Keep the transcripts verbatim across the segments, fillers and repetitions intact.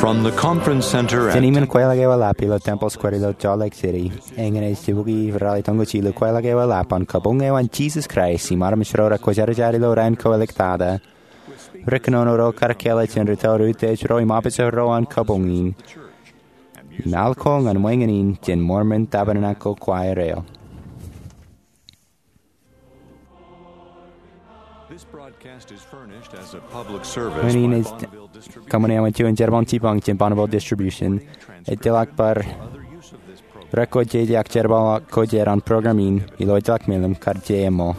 On the conference center at Jān iṃaan kweilọk eo eḷap ilo Temple Square ilo Salt Lake City, eñin ej jibukwi rally tonko jilu kweilọk eo eḷap an Kabuñ eo an Jesus Christ im armej ro rekwōjarjar ilo raan ko āliktata. Ri-kōnono ro kar kāālōt jān rūtto ro utiej ro im ṃōjṇọ ro an kabuñ in. Im al ko ñan ṃweiñin jān Mormon Tabernacle Choir eo. This broadcast is furnished as a public service. Ṃweiñin ej kōṃṃane eo an juon jerbal jipañ jān Bonneville Distribution. Ejjeḷọk bar record jeje ak jerbal ko jān program in ilo ejjeḷọk men eo kar jeje ṃōk.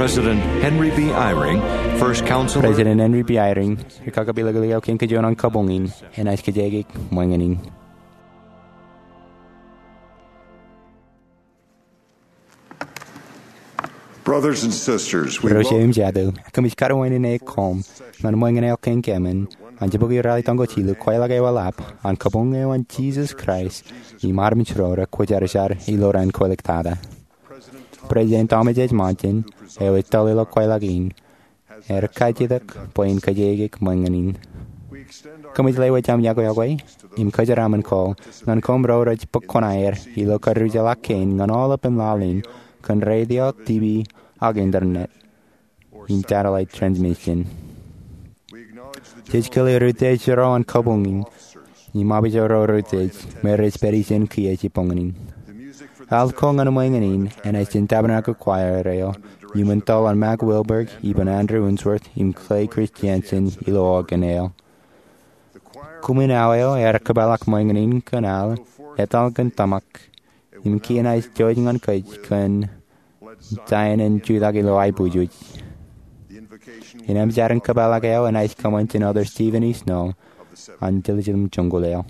President Henry B. Eyring, first counselor. President Henry B. Eyring, ri-kakapelikpelik eo kein kajuon an kabuñ in, enaaj kajjitōk ṃweiñin. Brothers and sisters, we Ro eo im jatū, ekōmij kar wāween in koṃ ñan ṃweiñin eo kein kōmin an jibukwi rally tonko jilu kweilọk eo eḷap an Kabuñ eo an Jesus Christ im armej ro rekwōjarjar ilo raan ko āliktata. President Thomas H. Monson, eo ej tōl ilo kweilọk in, ear kajjitōk bwe in kajjitōk ṃweiñin. Kōmij lewōj aṃ iọkwe iọkwe im kōjeraaṃṃan ko ñan koṃ ro rej bōk kuṇaer ilo karrejeḷā kein ñan aolepān laḷ in kōn radio, TV, ak internet im satellite transmission. Jej kile ri-utiej ro an kabuñ in im ṃōjṇọ ro ri-utiej me rej pād ijin kiiō jibboñōn in. Al ko ñan ṃweiñin enaaj jān Tabernacle Choir eo iuṃwin tōl an Mack Wilberg, iban Andrew Unsworth im Clay Christiansen ilo organ eo. Koṃwin ao eo ear kōpeḷḷọk ṃweiñin kōn al, etal kōn tōmak, im kien ej jouj ñan kōj kōn Zion in jutak ilo aiboojoj. Inaaj jar in kōpeḷḷọk eo enaaj kōṃṃan jān Elder Steven E. Snow an Jerusalem Joñoul eo.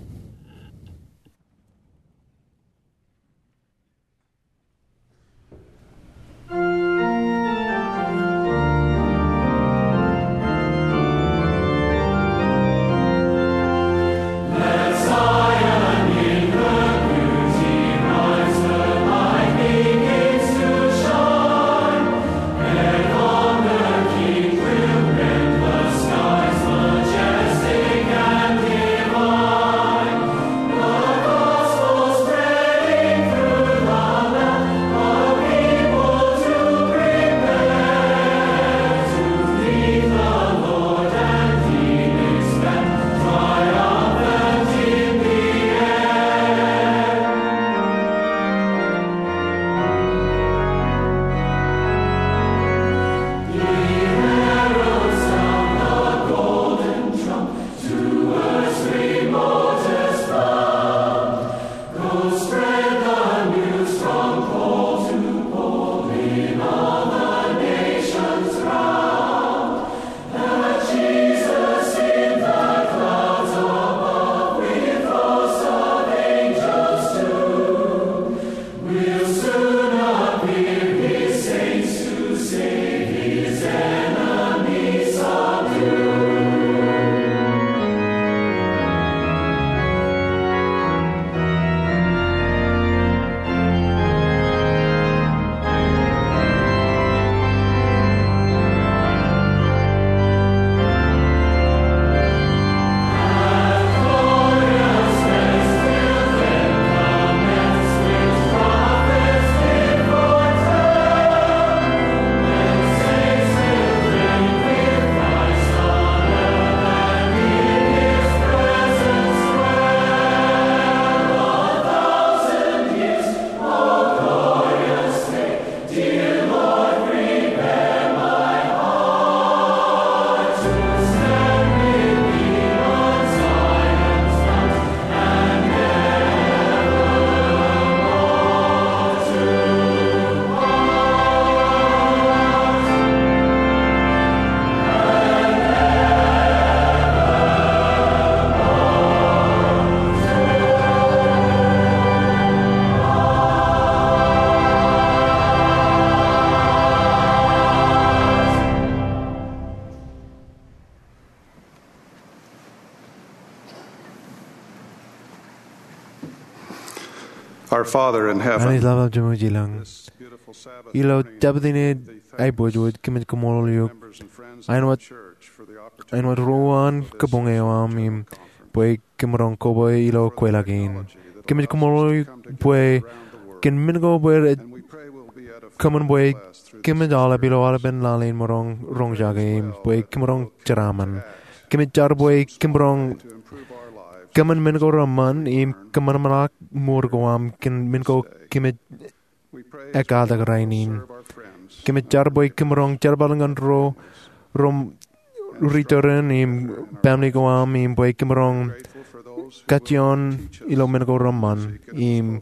Our Father in heaven, Anij Ḷapḷap Jemem ilañ, ilo Jabōt in aibōjbōj kōmij kaṃṃoolol eok āinwōt ro uwaan kabuñ eo aṃ im bwe kōmaroñ koba ilo kweilọk in. Kōmij kaṃṃoolol eok bwe kōn men ko bwe rej kōṃṃan bwe kōmij aolep ilo aolepen laḷ in maroñ roñjake im bwe kōmaroñ jeraaṃṃan. Kōmij jar bwe kōmaroñ kōṃṃan men ko reṃṃan im kōṃanṃanḷọk mour ko aṃ kōn men ko kōmij ekkatak rainin. Kōmij jar bwe kōmaroñ jerbal ñan ro, ro ri tōre in im baaṃle ko aṃ im bwe kōmaroñ kajjioñ ilo men ko reṃṃan. Im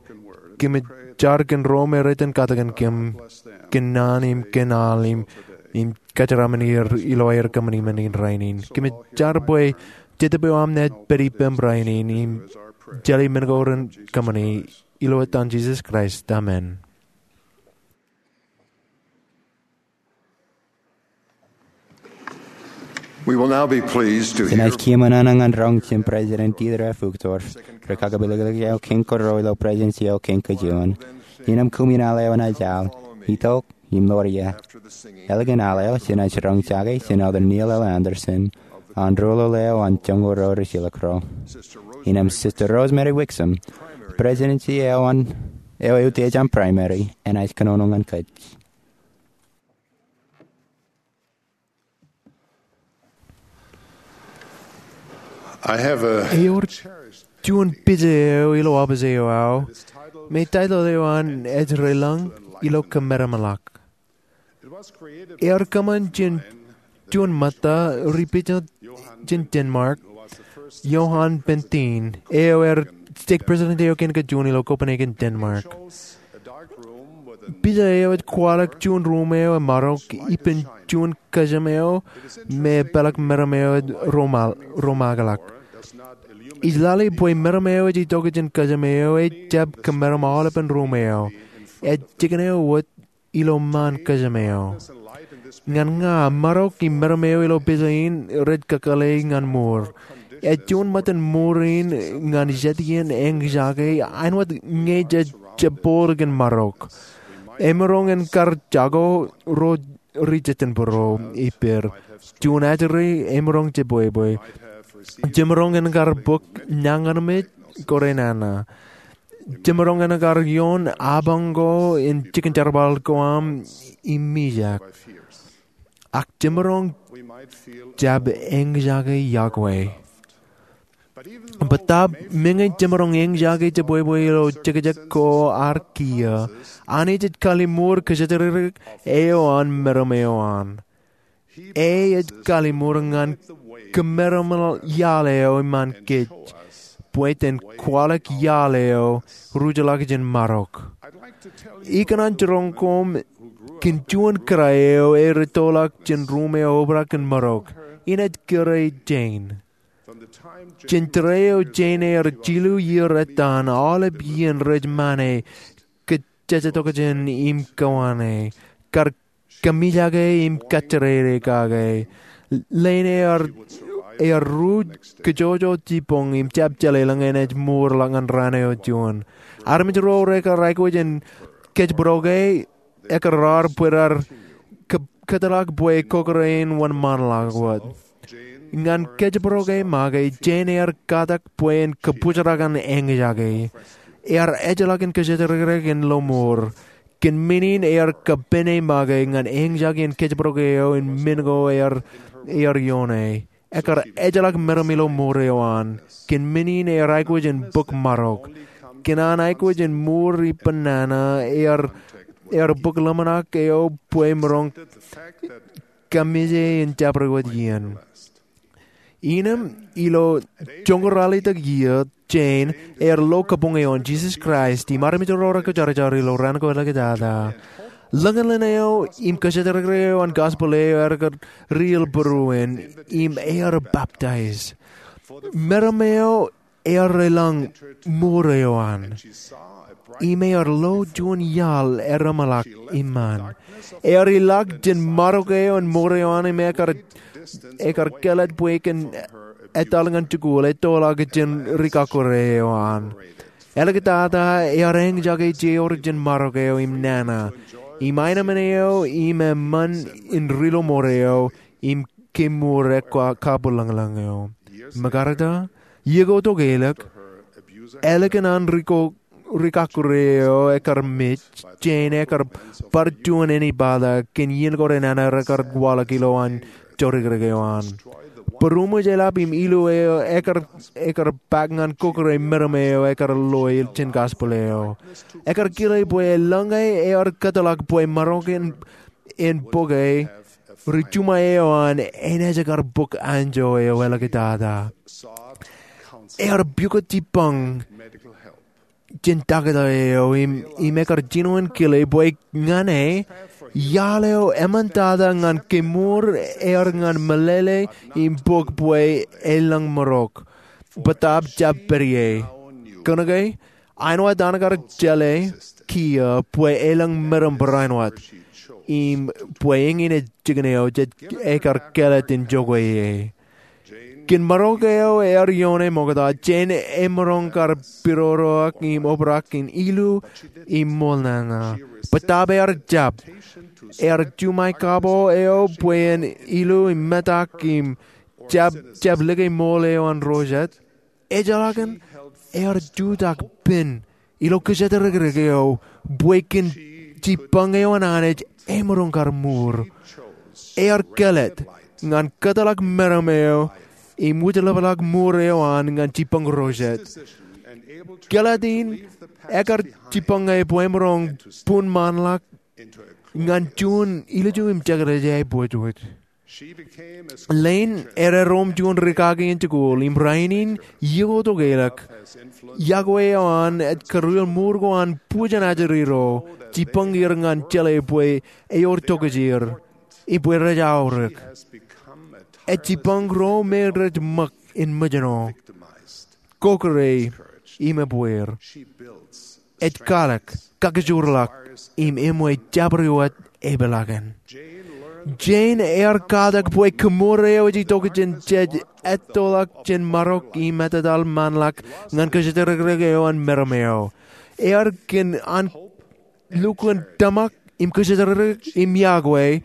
kōmij jar kōn ro me rej itōn katakin kōm kōn naan im kōn al im, im kōjeraaṃṃan er ilo aer kōṃṃani men in rainin. Kōmij jar bwe Jetōb eo aṃ naaj pād ippām rainin im jeḷā men ko ren kōṃṃani. Ilo etan Jisōs Kraist, amen. We will now be pleased to hear Jenaaj kiiō ṃōṇōṇō ñan roñ jān President Dieter F. Uchtdorf, ri kakapeḷḷọk eo kein kōrā ilo Presidency eo kein kajuon. Innām koṃwin al eo enaaj al, itok im ḷoor ie. Eḷaññe al eo jenaaj roñjake jān Elder Neil L. Andersen, an ruo ḷọk eo an joñoul ro ri jilkinḷọk ro. Innām Sister Rosemary Wixom, Presidency eo an, eo eutiej an Primary, enaaj kōnono ñan kōj. I have a Ewōr juon pija eo ilo ọpis eo aō, me taitōḷ eo an ej Reilañ ilo Kōmeramḷọk. Ear kōṃṃan jān juon ṃōtta ri pija jān Denmark, Johan Benthin, eo ear stake president eo kein kajuon ilo Copenhagen, Denmark. Pija eo ej kwaḷọk juon ruum eo emarok ippān juon kōjām eo me peḷḷọk meram eo ej romaak, romaakḷọk. Ij lale bwe meram eo ej itok jān kōjām eo ejjab kōmeram aolepen ruum eo. Ej jikin eo wōt ilo ṃaan kōjām eo. Ñan ña, marok im meram eo ilo pija in rej kakōḷḷe ñan mour. Ej juon ṃōttan mour in ñan jet iien eñjake āinwōt ñe jej jab bōd kōn marok. Emaroñ in kar jako ro ri jejjenbōro ippād. Juon ajri emaroñ jebwebwe. Jemaroñ in kar bōk ñan armej kōrā nana. Jemaroñ in kar ioon apañ ko in jikin jerbal ko aṃ im mijak. Ak jemaroñ jab eñjake iọkwe. Bōtaab meñe jemaroñ eñjake jebwebwe ilo jekjek ko ar kiiō, Anij ej kallimur kōjatdikdik eo an meram eo an. E ej kallimur ñan kōmeram iaḷ eo iṃaan kōj, bwe jen kwaḷọk iaḷ eo rujḷọk jān marok. Ikōṇaan jiroñ koṃ kōn juon kōrā eo ej ettoḷọk jān ruum eo obrak kōn marok. Inaaj kōrā Jane. Jān tōre eo Jane ear jilu iiō ettaan, aolep iien rej ṃane, kōjjatokjān im kōṃṃane, kar kōmijake im kajjirere kake. Leen ear, ear ruj kōjojot jibboñ im jab jeḷā eḷaññe enaaj mour ḷọk ñan raan eo juon. Armej ro rekar aikuj in kōjparok e, ekar raar bwe raar kō-, kōtḷọk bwe kokōrā in wōnṃaanḷọk wōt. Ñan kōjparok e make, Jane ear katak bwe en kōbōjrak ñan eñjake. Ear ejjeḷọk in kōjatdikdik in lo mour. Kōn men in ear kōpene make ñan eñjake in kōjparok eo im men ko ear, ear ioone. Ekar ejjeḷọk meram ilo mour eo an. Kōn men in ear aikuj in bōk marok. Kōn an aikuj in mour ippān nana ear, ear bōk ḷōmṇak eo bwe emaroñ kōmije in jabdewōt iien. Innām ilo joñoul ralitōk iiō, Jane ear lo kabuñ eo an Jisōs Kraist im armej ro rekwōjarjar ilo raan ko ḷọkjāda. Ḷōñin ḷein eo im kōjatdikdik eo an gospel eo ear kar riil būruon im ear baptize. Meram eo ear elōñ mour eo an. Im ear lo juon iaḷ ereṃḷọk iṃaan. Ear ilọk jān marok eo an mour eo an im ekar, ekar kāālōt bwe e kōn etal ñan jikuuḷ ettoḷọk jān ri kakkure eo an. Āliktata ear eñjake jeor jān marok eo im nana, im aenōṃṃan eo im eṃṃan in ri-lọmọọr eo, im kemour ekkabuḷōñḷōñ eo. Mekarta, iiō ko tok ālik, ālikin an rikakkure eo ekkar mej, Jane ekar bar juon ānbata kōn iien ko renana rekar waḷọk ilo an jorikrek eo an. Būruṃwij eḷap im ilu eo ekar, ekar pak ñan kōkōrā meram eo ekar loe jān gospel eo. Ekar kile bwe eḷaññe ear kōtḷọk bwe maroñ in, in bōke, ri-juṃae eo an enaaj kar bōk anjọ eo āliktata. Ear pukot jibbañ jān taktō eo im, im ekar jino in kile bwe ñan e, iaḷ eo eṃṃantata ñan kemour ear ñan meḷeḷe im bōk bwe elōñ marok, bōtaab jab pād ie. Kōnke, āinwōt an kar jeḷā kiiō bwe elōñ meram barāinwōt, im bwe eñin ej jikin eo jej, ekar kāālōt in jokwe ie. Kōn marok eo ear ioone ṃokta, Jane emaroñ kar pidodoak im obrak in ilu im ṃool nana. Bōtaab ear jab. Ear juṃae kabo eo bwe en ilu im metak im jab, jab lōke ṃool eo an ro jet. Ejjeḷọkin ear jutak pen ilo kōjatdikdik eo bwe kōn jibbañ eo an Anij emaroñ kar mour. Ear kāālōt ñan kōtḷọk meram eo im wūjlepḷọk mour eo an ñan jibbañ ro jet. Kāālōt in ekar jibbañe bwe emaroñ bun ṃaanḷọk ñan juon ilju im jekdọọk aebwōjwōj. Lane ear erom juon rikaki in jikuuḷ, im rainin iiō ko tok ālik, yokwe eo an ej kūrwel mour ko an bujen ajri ro, jibbañ er ñan jeḷā bwe ewōr tokjāer, im bwe rej aorōk. Ej jibbañ ro me rej ṃōk in mejān, kōkōrā, im ebbeer. Ej kwaḷọk, kakkōjorḷọk, im eṃōj jabdewōt wōt epeḷaakin. Jane ear katak bwe kemour eo ej itok jān jej ettoḷọk jān marok im etetaḷ ṃaanḷọk ñan kōjatdikdik eo an meram eo. Ear kōn an lukkuun tōmak im kōjatdikdik im yokwe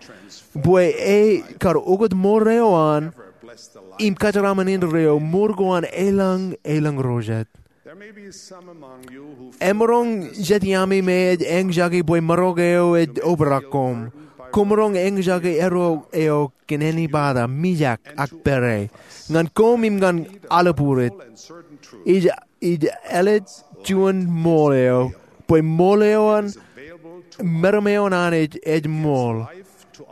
bwe e kar ukōt ṃool eo an im kōjeraaṃṃan indeeo ṃool ko an elōñ, elōñ ro jet. Emaroñ jet iaami me ej eñjake bwe marok eo ej obrak koṃ. Koṃ maroñ eñjake erro eo kōn ānbata, mijak ak pere, ñan koṃ im ñan aolep būruōt. Ij, ij ālōt juon ṃool eo, bwe ṃool eo an meram eo an Anij ej ṃool,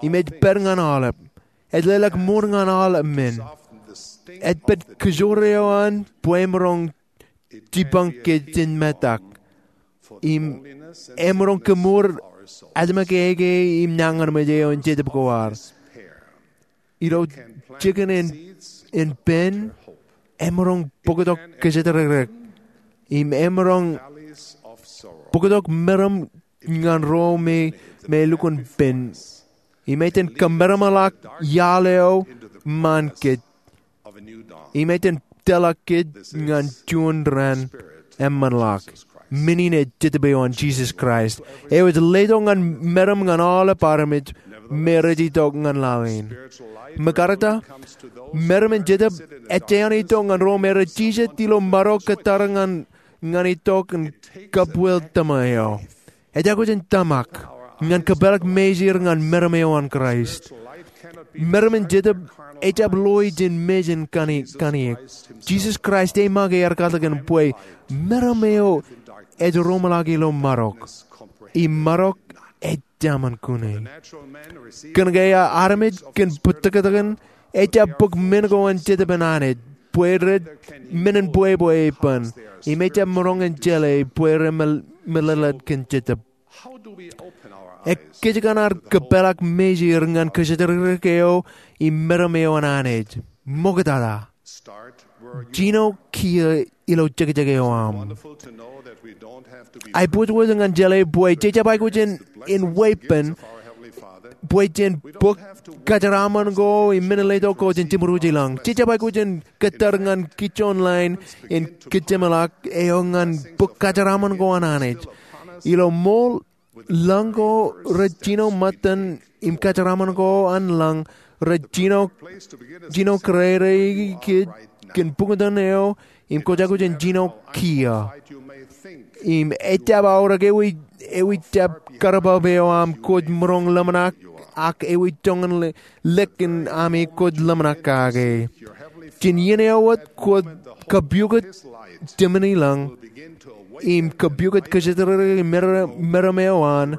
im ej pād ñan aolep. Ej leḷọk mour ñan aolep men. Ej pād kōjro eo an bwe emaroñ jibbañ kōj jān metak. Im emaroñ kemour ājmoñkeiki im nañinmej eo in Jetōb Kwaar. Ilo jikin in, in pen, emaroñ bōktok kōjatdikdik. Im emaroñ bōktok meram ñan ro me, me lukkuun pen. Im ej itōn kōmeramḷọk iaḷ eo ṃaan kōj. Im ej itōn tōlḷọk kōj ñan juon raan eṃṃanḷọk. Men in ej Jetōb eo an Jisōs Kraist, eo ej letok ñan meram ñan aolep armej me rej itok ñan laḷ in. Mekarta, meram in Jetōb ej eṇ itok ñan ro me rej jijet ilo marok kōttar ñan, ñan itok in kabwil tōma eo. Ej aikuj in tōmak ñan kōpeḷḷọk mejāer ñan meram eo an Kraist. Meram in Jetōb ejjab loe jān mejān kani-, kaniōk. Jisōs Kraist ej make ear katakin bwe meram eo ej roñḷọk ilo marok. Im marok ej jaṃain kune. Kōnke armej kōn bōtōktōkin ejjab bōk men ko an Jetōb in Anij, bwe rej men in bwebwe ippān, im ejjab maroñ in jeḷā bwe rej me-, meḷeḷeid kōn Jetōb. Ekkejkan ad kōpeḷḷọk mejāer ñan kōjatdikdik eo im meram eo an Anij? Ṃoktata. Jino kiiō ilo jekjek eo aṃ. Aebwōjwōj ñan jeḷā bwe jejjab aikuj in, in weeppān bwe jen bōk kōjeraaṃṃan ko im men in letok ko jān jeṃrooj ilañ. Jej jab aikuj in kōttar ñan kijoñ line in kōjeṃḷọk eo ñan bōk kōjeraaṃṃan ko an Anij. Ilo ṃool lañ ko rej jino ṃōttan im kōjeraaṃṃan ko an lañ rej jino, jino kōrā kōj kōn buñtōn eo im kwōj aikuj in jino kiiō. Im ejjab aorōk ewi, ewi jab karbab eo aṃ kwōj maroñ ḷōmṇak ak ewi joñan le-, lōk in ami kwōj ḷōmṇak kake. Jān iien eo wōt kwōj kapiukot jemān ilañ im kapiukot kōjatdikdik meram, meram eo an,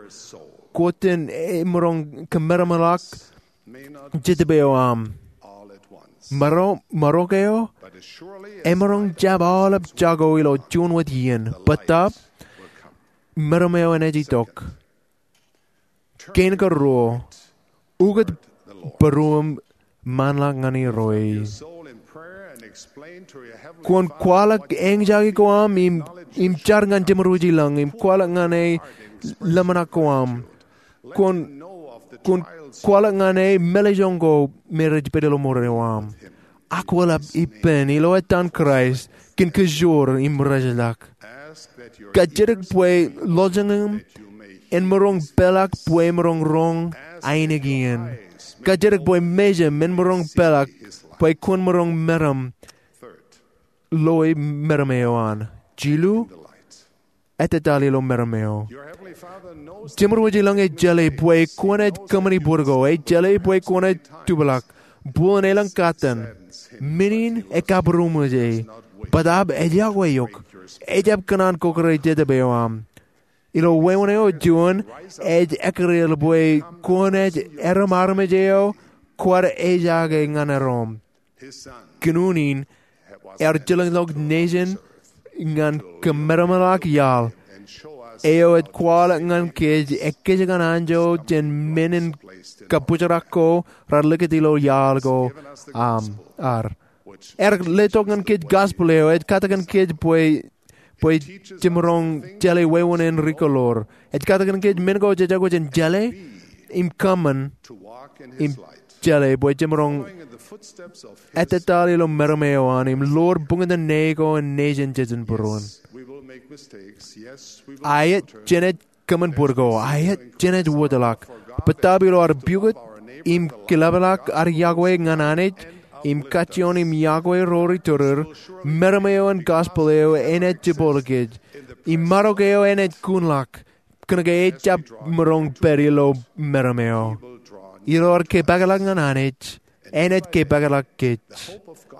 kwōj jen emaroñ kōmeramḷọk jetōb eo aṃ. Maro-, marok eo emaroñ jab aolep jako ilo juon wōt iien. Bōtaab meram eo enaaj itok. Kein karuo, ukōt būruōṃ ṃaanḷọk ñan Irooj. Kwōn kwaḷọk eñjake ko aṃ im, im jar ñan jeṃrooj ilañ im kwaḷọk ñan e ḷōmṇak ko aṃ. Kwōn, kwōn kwaḷọk ñan e meḷejoñ ko me rej pād ilo mour eo aṃ. Akweḷap ippān ilo ettaan Kraist kōn kōjoor im rejlọk. Kajjitōk bwe lọjilñiṃ en maroñ peḷọk bwe emaroñ roñ ainikien. Kajjitōk bwe mejaṃ en maroñ peḷọk bwe kwōn maroñ meram loi meram eo an. Jilu, ettōtāl ilo meram eo. Jeṃrooj ilañ ej jeḷā bwe kwōnaaj kōṃṃani bōd ko. Ej jeḷā bwe kwōnaaj tupḷọk. Bōlen elōñ kōttan, men in ekabūroṃōj e. Bōtaab ej yokwe eok. Ejjab kōṇaan kōkōrā jetōb eo aṃ. Ilo wāween eo juon, ej ekkar bwe kwōnaaj erom armej eo kwaar ejaake ñan erom. Kōn unin ear jilkinḷọk nejin ñan kōmeramḷọk iaḷ eo ej kwaḷọk ñan kōj ekkejkan anjọ jān men in kabōjrak ko raar likūt ilo iaḷ ko aṃ, ar. Ear letok ñan kōj gospel eo ej katakin kōj bwe, bwe jemaroñ jeḷā wāween in rikoḷoor. Ej katakin kōj men ko jej aikuj in jeḷā im kōṃṃan im jeḷā bwe jemaroñ ettōtāl ilo meram eo an im ḷoor buñtōn ṇe ko in nejin jejin būruon. Aet, jenaaj kōṃṃan bōd ko. Aet, jenaaj wōtlọk. Bōtaab ilo ad piukot im kilaplak ad yokwe ñan Anij im kajjioñ im yokwe ro rej tōreer, meram eo an gospel eo enaaj jibboḷ kōj. Im marok eo enaaj kunḷọk. Kōnke ejjab maroñ pād ilo meram eo. Ilo ad kōpeḷḷọk ñan Anij, enaaj kōpeḷḷọk kōj.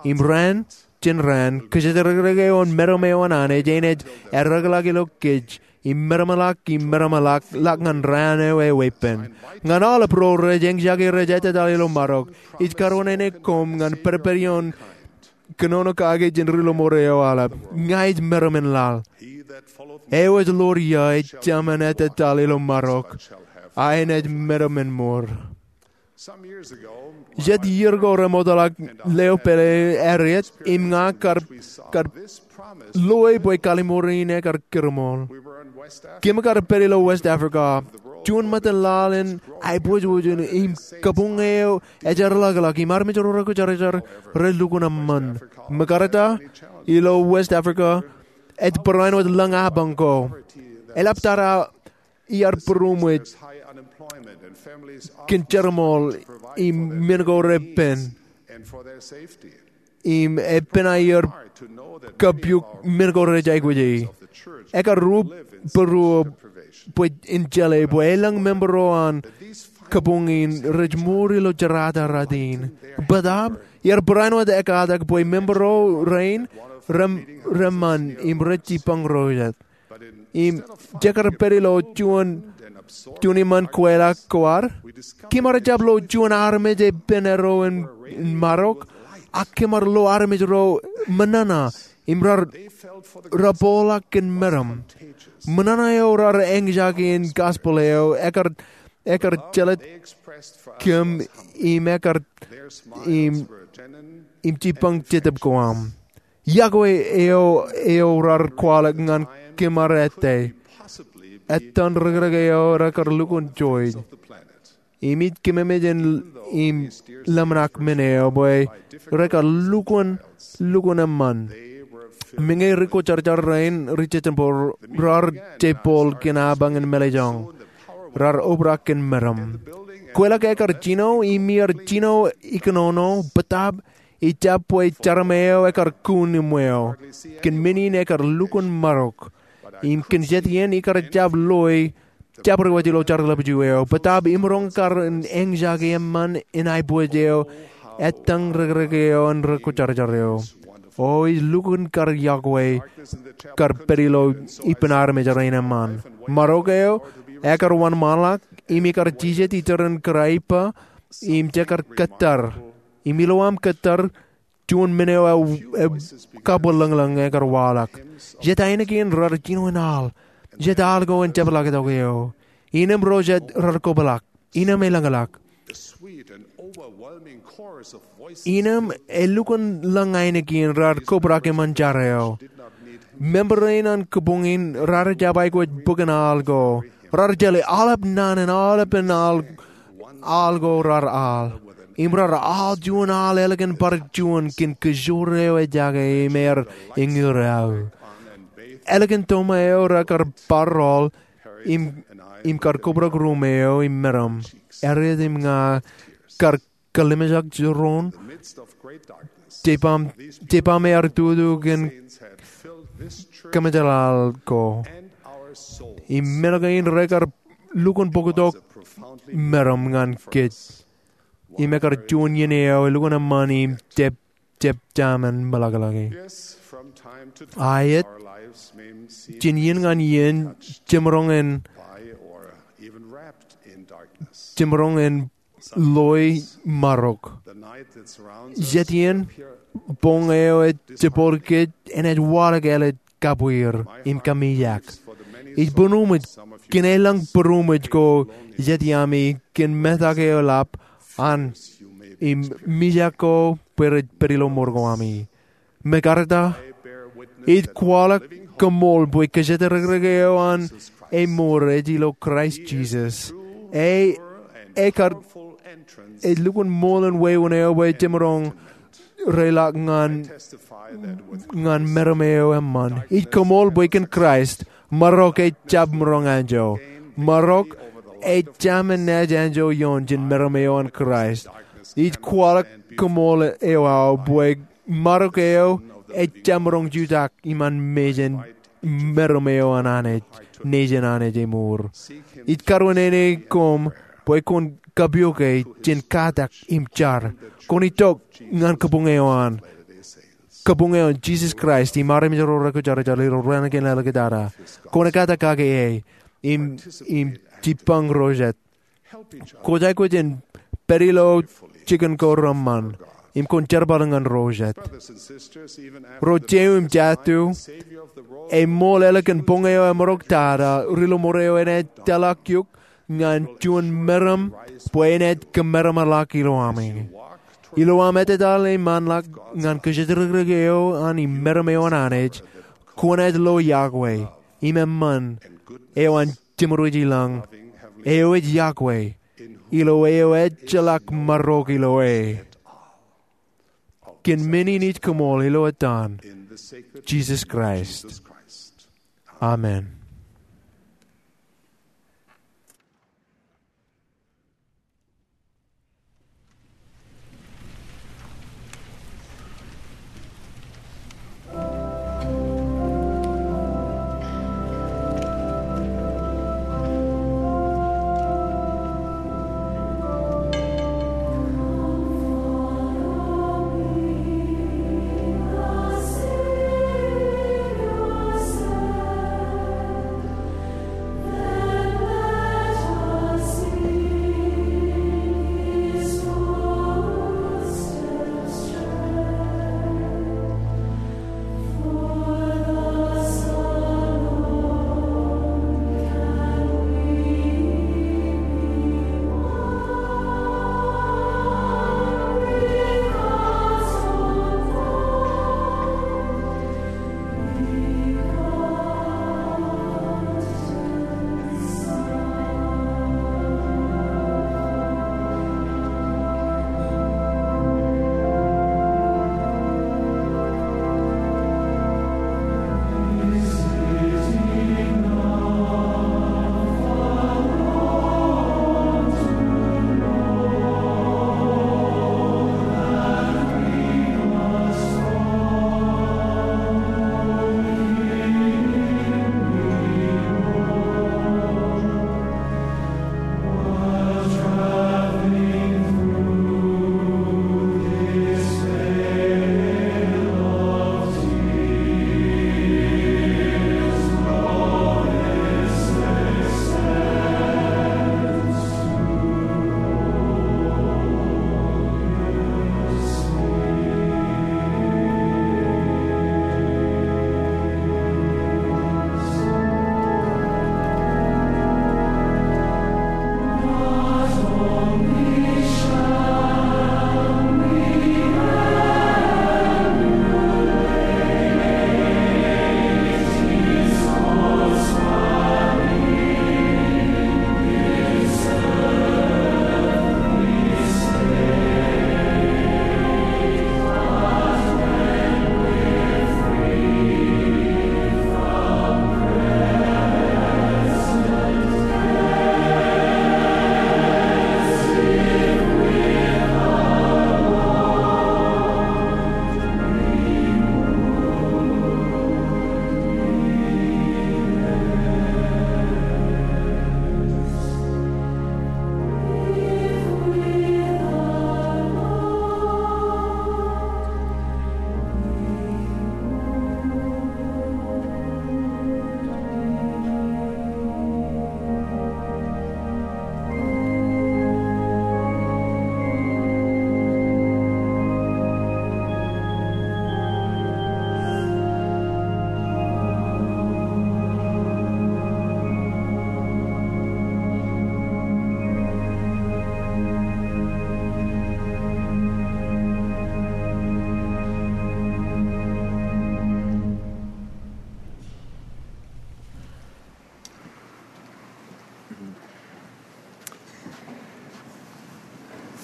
Im raan jān raan, kōjatdikdik eo an meram eo an Anij enaaj eddekḷọk ilo kōj im meramḷọk im meramḷọk ḷọk ñan raan eo eweeppān. Ñan aolep ro rej eñjake rej ettōtāl ilo marok, ij karuwaineneik koṃ ñan pedped ioon kōnono kake jān ri-lọmọọr eo aolep. Ña ij meram in laḷ. Eo ej ḷoor ia ej jemān ettōtāl ilo marok, a enaaj meram in mour. Jet iier ko remootḷọk, leo pālle Harriet im ña kar, kar loi bwe kallimur in ekar kōrmool. Kōm kar pād ilo West Africa, juon ṃōttan laḷ in aiboojoj im kabuñ eo ej eḷḷọkḷọk im armej ro rekwojarjar relukkuun eṃṃan. Ṃōkarta, ilo West Africa, ej barāinwōt lañ apañ ko eḷaptata iar būroṃōj kōn jerbal im men ko repen im epen aer kapiuk men ko rej aikuji. Ekar rup būruō bwe in jeḷā bwe elōñ member ro an kabuñ in rej mour ilo jerata rot in. Bōtaab iar barāinwōt ekatak bwe member ro rein rem, reṃṃan im rej jipañ ro jet. Im jekar pād ilo juon, juon iṃaan kweilọk ko ad, kōm ar jab lo juon armej epen ro in, in marok, ak kōm ar lo armej ro ṃōṇōṇō im raar, raar bōkḷọk kōn meram. Ṃōṇōṇō eo raar eñjake in gospel eo ekar, ekar jelōt kōm im ekar, im, im jipañ jetōb ko aṃ. Yokwe eo, eo raar kwaḷọk ñan kōm ad ettā. Ettan rikirek eo rekar lukkuun joij. Im ij kememej in im ḷōmṇak men eo bwe rekar lukkuun, lukkuun eṃṃan. Meñe rikwōjarjar rein ri Jetebor raar jepol kōn apañ in mālejjoñ, raar obrak kōn meram. Kweilọk ekar jino, im iar jino ikōnono, bōtaab ejjab bwe jeram eo ekar kun im weo. Kōn men in ekar lukkuun marok. Im kōn jet iien ikar jab loi, jabdewōt ilo jar ḷapju eo. Bōtaab imaroñ kar eñjake eṃṃan in aiboojoj eo, ettōñ rekrek eo an rikwōjarjar eo. O ij lukkuun kar yokwe, kar pād ilo ippān armej rein eṃṃan. Marok eo, ekar wōnṃaanḷọk, im ikar jijet ijeran kōrā ippa, im jekar kōttar. Im ilowaan kōttar, juon men eo ej, ej kabwilōñlōñ ekar waḷọk. Jet ainikien raar jino in al. Jet al ko en jepḷaaktok eo. Innem ro jet raar kobrak. Innem elōñḷọk. Innem elukkuun lōñ ainikien raar kobrak eṃṃan jar eo. Member rein an kabuñ in raar jab aikuj bōk in al ko. Raar jeḷā aolep naan in aolepen al, al ko raar al. Im raar al juon al ālikin bar juon kōn kōjoor eo ejake im er eñin aō. Ālikin toṃa eo rekar bar rọọl im, im kar kobrak ruuṃ eo im meram. Harriet im ña kar kalimjak jiroñ. Jepam, jepam ear tutu kōn kōmejeḷaḷ ko. Im men kein rekar lukkuun bōktok meram ñan kōj. Im ekar juon iien eo elukkuun eṃṃan im jab, jab jamin meḷọkḷọki. Aet, jān iien ñan iien, jemaroñ in, jemaroñ in loi marok. Jet iien, boñ eo ej jepor kōj enaaj waḷọk ālikin kabwier im kamijak. Ij būroṃōj kōn elōñ būroṃōj ko jet iaami kōn metak eo eḷap an im mijak ko bwe rej pād ilo mour ko ami. Mekarta, ij kwaḷọk koṃṃool bwe kōjatdikdik eo an eṃoor ej ilo Kraist Jisōs. E, ekar, ej lukkuun ṃool in wāween eo bwe jemaroñ reiḷọk ñan, ñan meram eo eṃṃan. Ij koṃṃool bwe kōn Kraist, marok ejjab maroñ anjọ. Marok ejjab men naaj anjọ ioon jān meram eo an Kraist. Ij kwaḷọk koṃṃool eo aō bwe marok eo ejjab maroñ jutak iṃaan mejān meram eo an Anij, nejin Anij eṃoor. Ij karuwainene koṃ bwe kwōn kapoke jān katak im jar. Kwōn itok ñan kabuñ eo an, kabuñ eo an Jisōs Kraist im armej ro rekwōjarjar ilo raan kein āliktata. Kwōn ekkatak kake e im, im jibbañ ro jet. Kwōj aikuj in pād ilo jikin ko reṃṃan im kwōn jerbal ñan ro jet. Ro jeiū im jatū, eṃool ālikin boñ eo emaroñ tata, ri-lọmọọr eo enaaj tōlḷọk eok ñan juon meram bwe enaaj kōmeramḷọk ilo ami. Ilo aṃ etetal im anḷọk ñan kōjatdikdik eo an im meram eo an Anij, kwōnaaj lo iọkwe im eṃṃan eo an jeṃrooj ilañ, eo ej iọkwe, ilo eo ejjeḷọk marok ilo e. Kōn men in ij koṃṃool ilo etan Jisōs Kraist. Amen.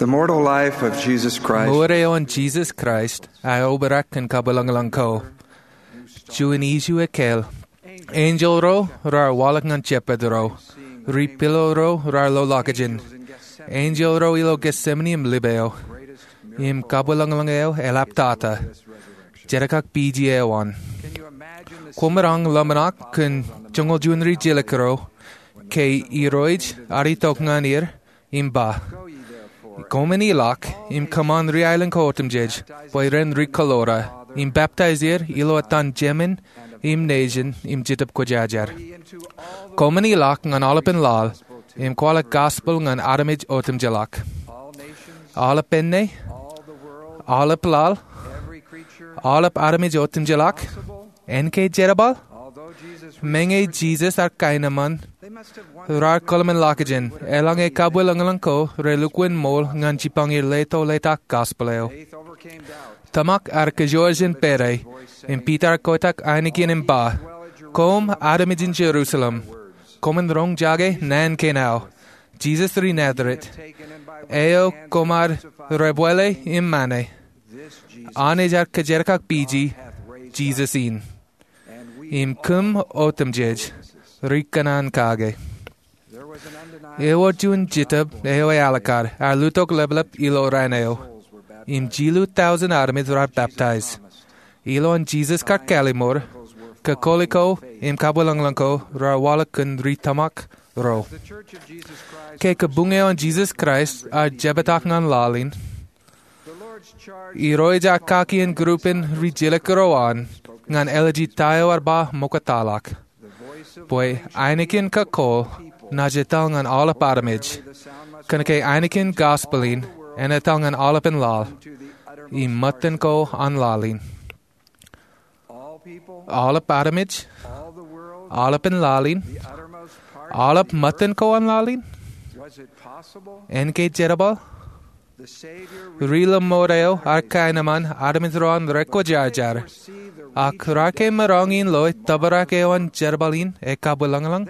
The mortal life of Jesus Christ. Mour eo an Jisōs Kraist ear obrak kōn kabwilōñlōñ ko. Juon issue ekkāāl. Enjeḷ ro raar waḷọk ñan shepherd ro. Ri pilo ro raar lo ḷọkjeṇ. Enjeḷ ro ilo Gethsemane im lip eo. Im kabwilōñlōñ eo eḷaptata. Jerkakpeje eo an. Kwōmaroñ ḷōmṇak kōn joñoul juon ri jilkinro ke Irooj ear itok ñan er im ba, koṃwin ilọk im kōṃṃan ri aelōñ ko otemjej bwe ren ri kōḷoḷā, im baptize er ilo etan Jemān im Nejin im Jetōb Kwōjarjar. Koṃwin ilọk ñan aolepān laḷ im kwaḷọk gospel ñan armej otemjeḷọk. Aolep pālle, aolep laḷ, aolep armej otemjeḷọk, en ke jerbal? Meñe Jisōs ear kaenōṃṃan, raar kōḷmānḷọkjeṇ, eḷaññe kabwilōñlōñ ko relukkuun ṃool ñan jipañ er leto letak gospel eo. Tōmak ear kōjwōj jān pere, im Piter ear kotak ainikien im ba, koṃ armej in Jerusalem, koṃwin roñjake naan kein aō. Jisōs ri Nazeret, eo koṃ ar debwāāle im mane, Anij ear kōjerkakpeje Jisōs in. Im kōm otemjej ri kōṇaan kake. Ewōr juon jetōb eo ealikkar ear lutok ḷapḷap ilo raan eo. Im jilu tọujin armej raar baptize. Ilowaan Jisōs kar kalimur, kōkoli ko im kabwilōñlōñ ko raar waḷọk kōn ri tōmak ro. Ke kabuñ eo an Jisōs Kraist ear jepetak ñan laḷ in, Irooj ear kaki group in ri jilkinro an ñan āliji ta eo ear ba ṃoktaḷọk. Bwe ainikien kōkol naaj etal ñan aolep armej, kōnke ainikien gospel in en etal ñan aolepān laḷ, im ṃōttan ko an laḷ in. Aolep armej, aolepān laḷ in, aolep ṃōttan ko an laḷ in. En ke jerbal? Ri ḷōṃoot eo ear kaenōṃṃan armej ro an rekwōjarjar, ak raar ke maroñ in loe tōprak eo an jerbal in ekabwilōñlōñ?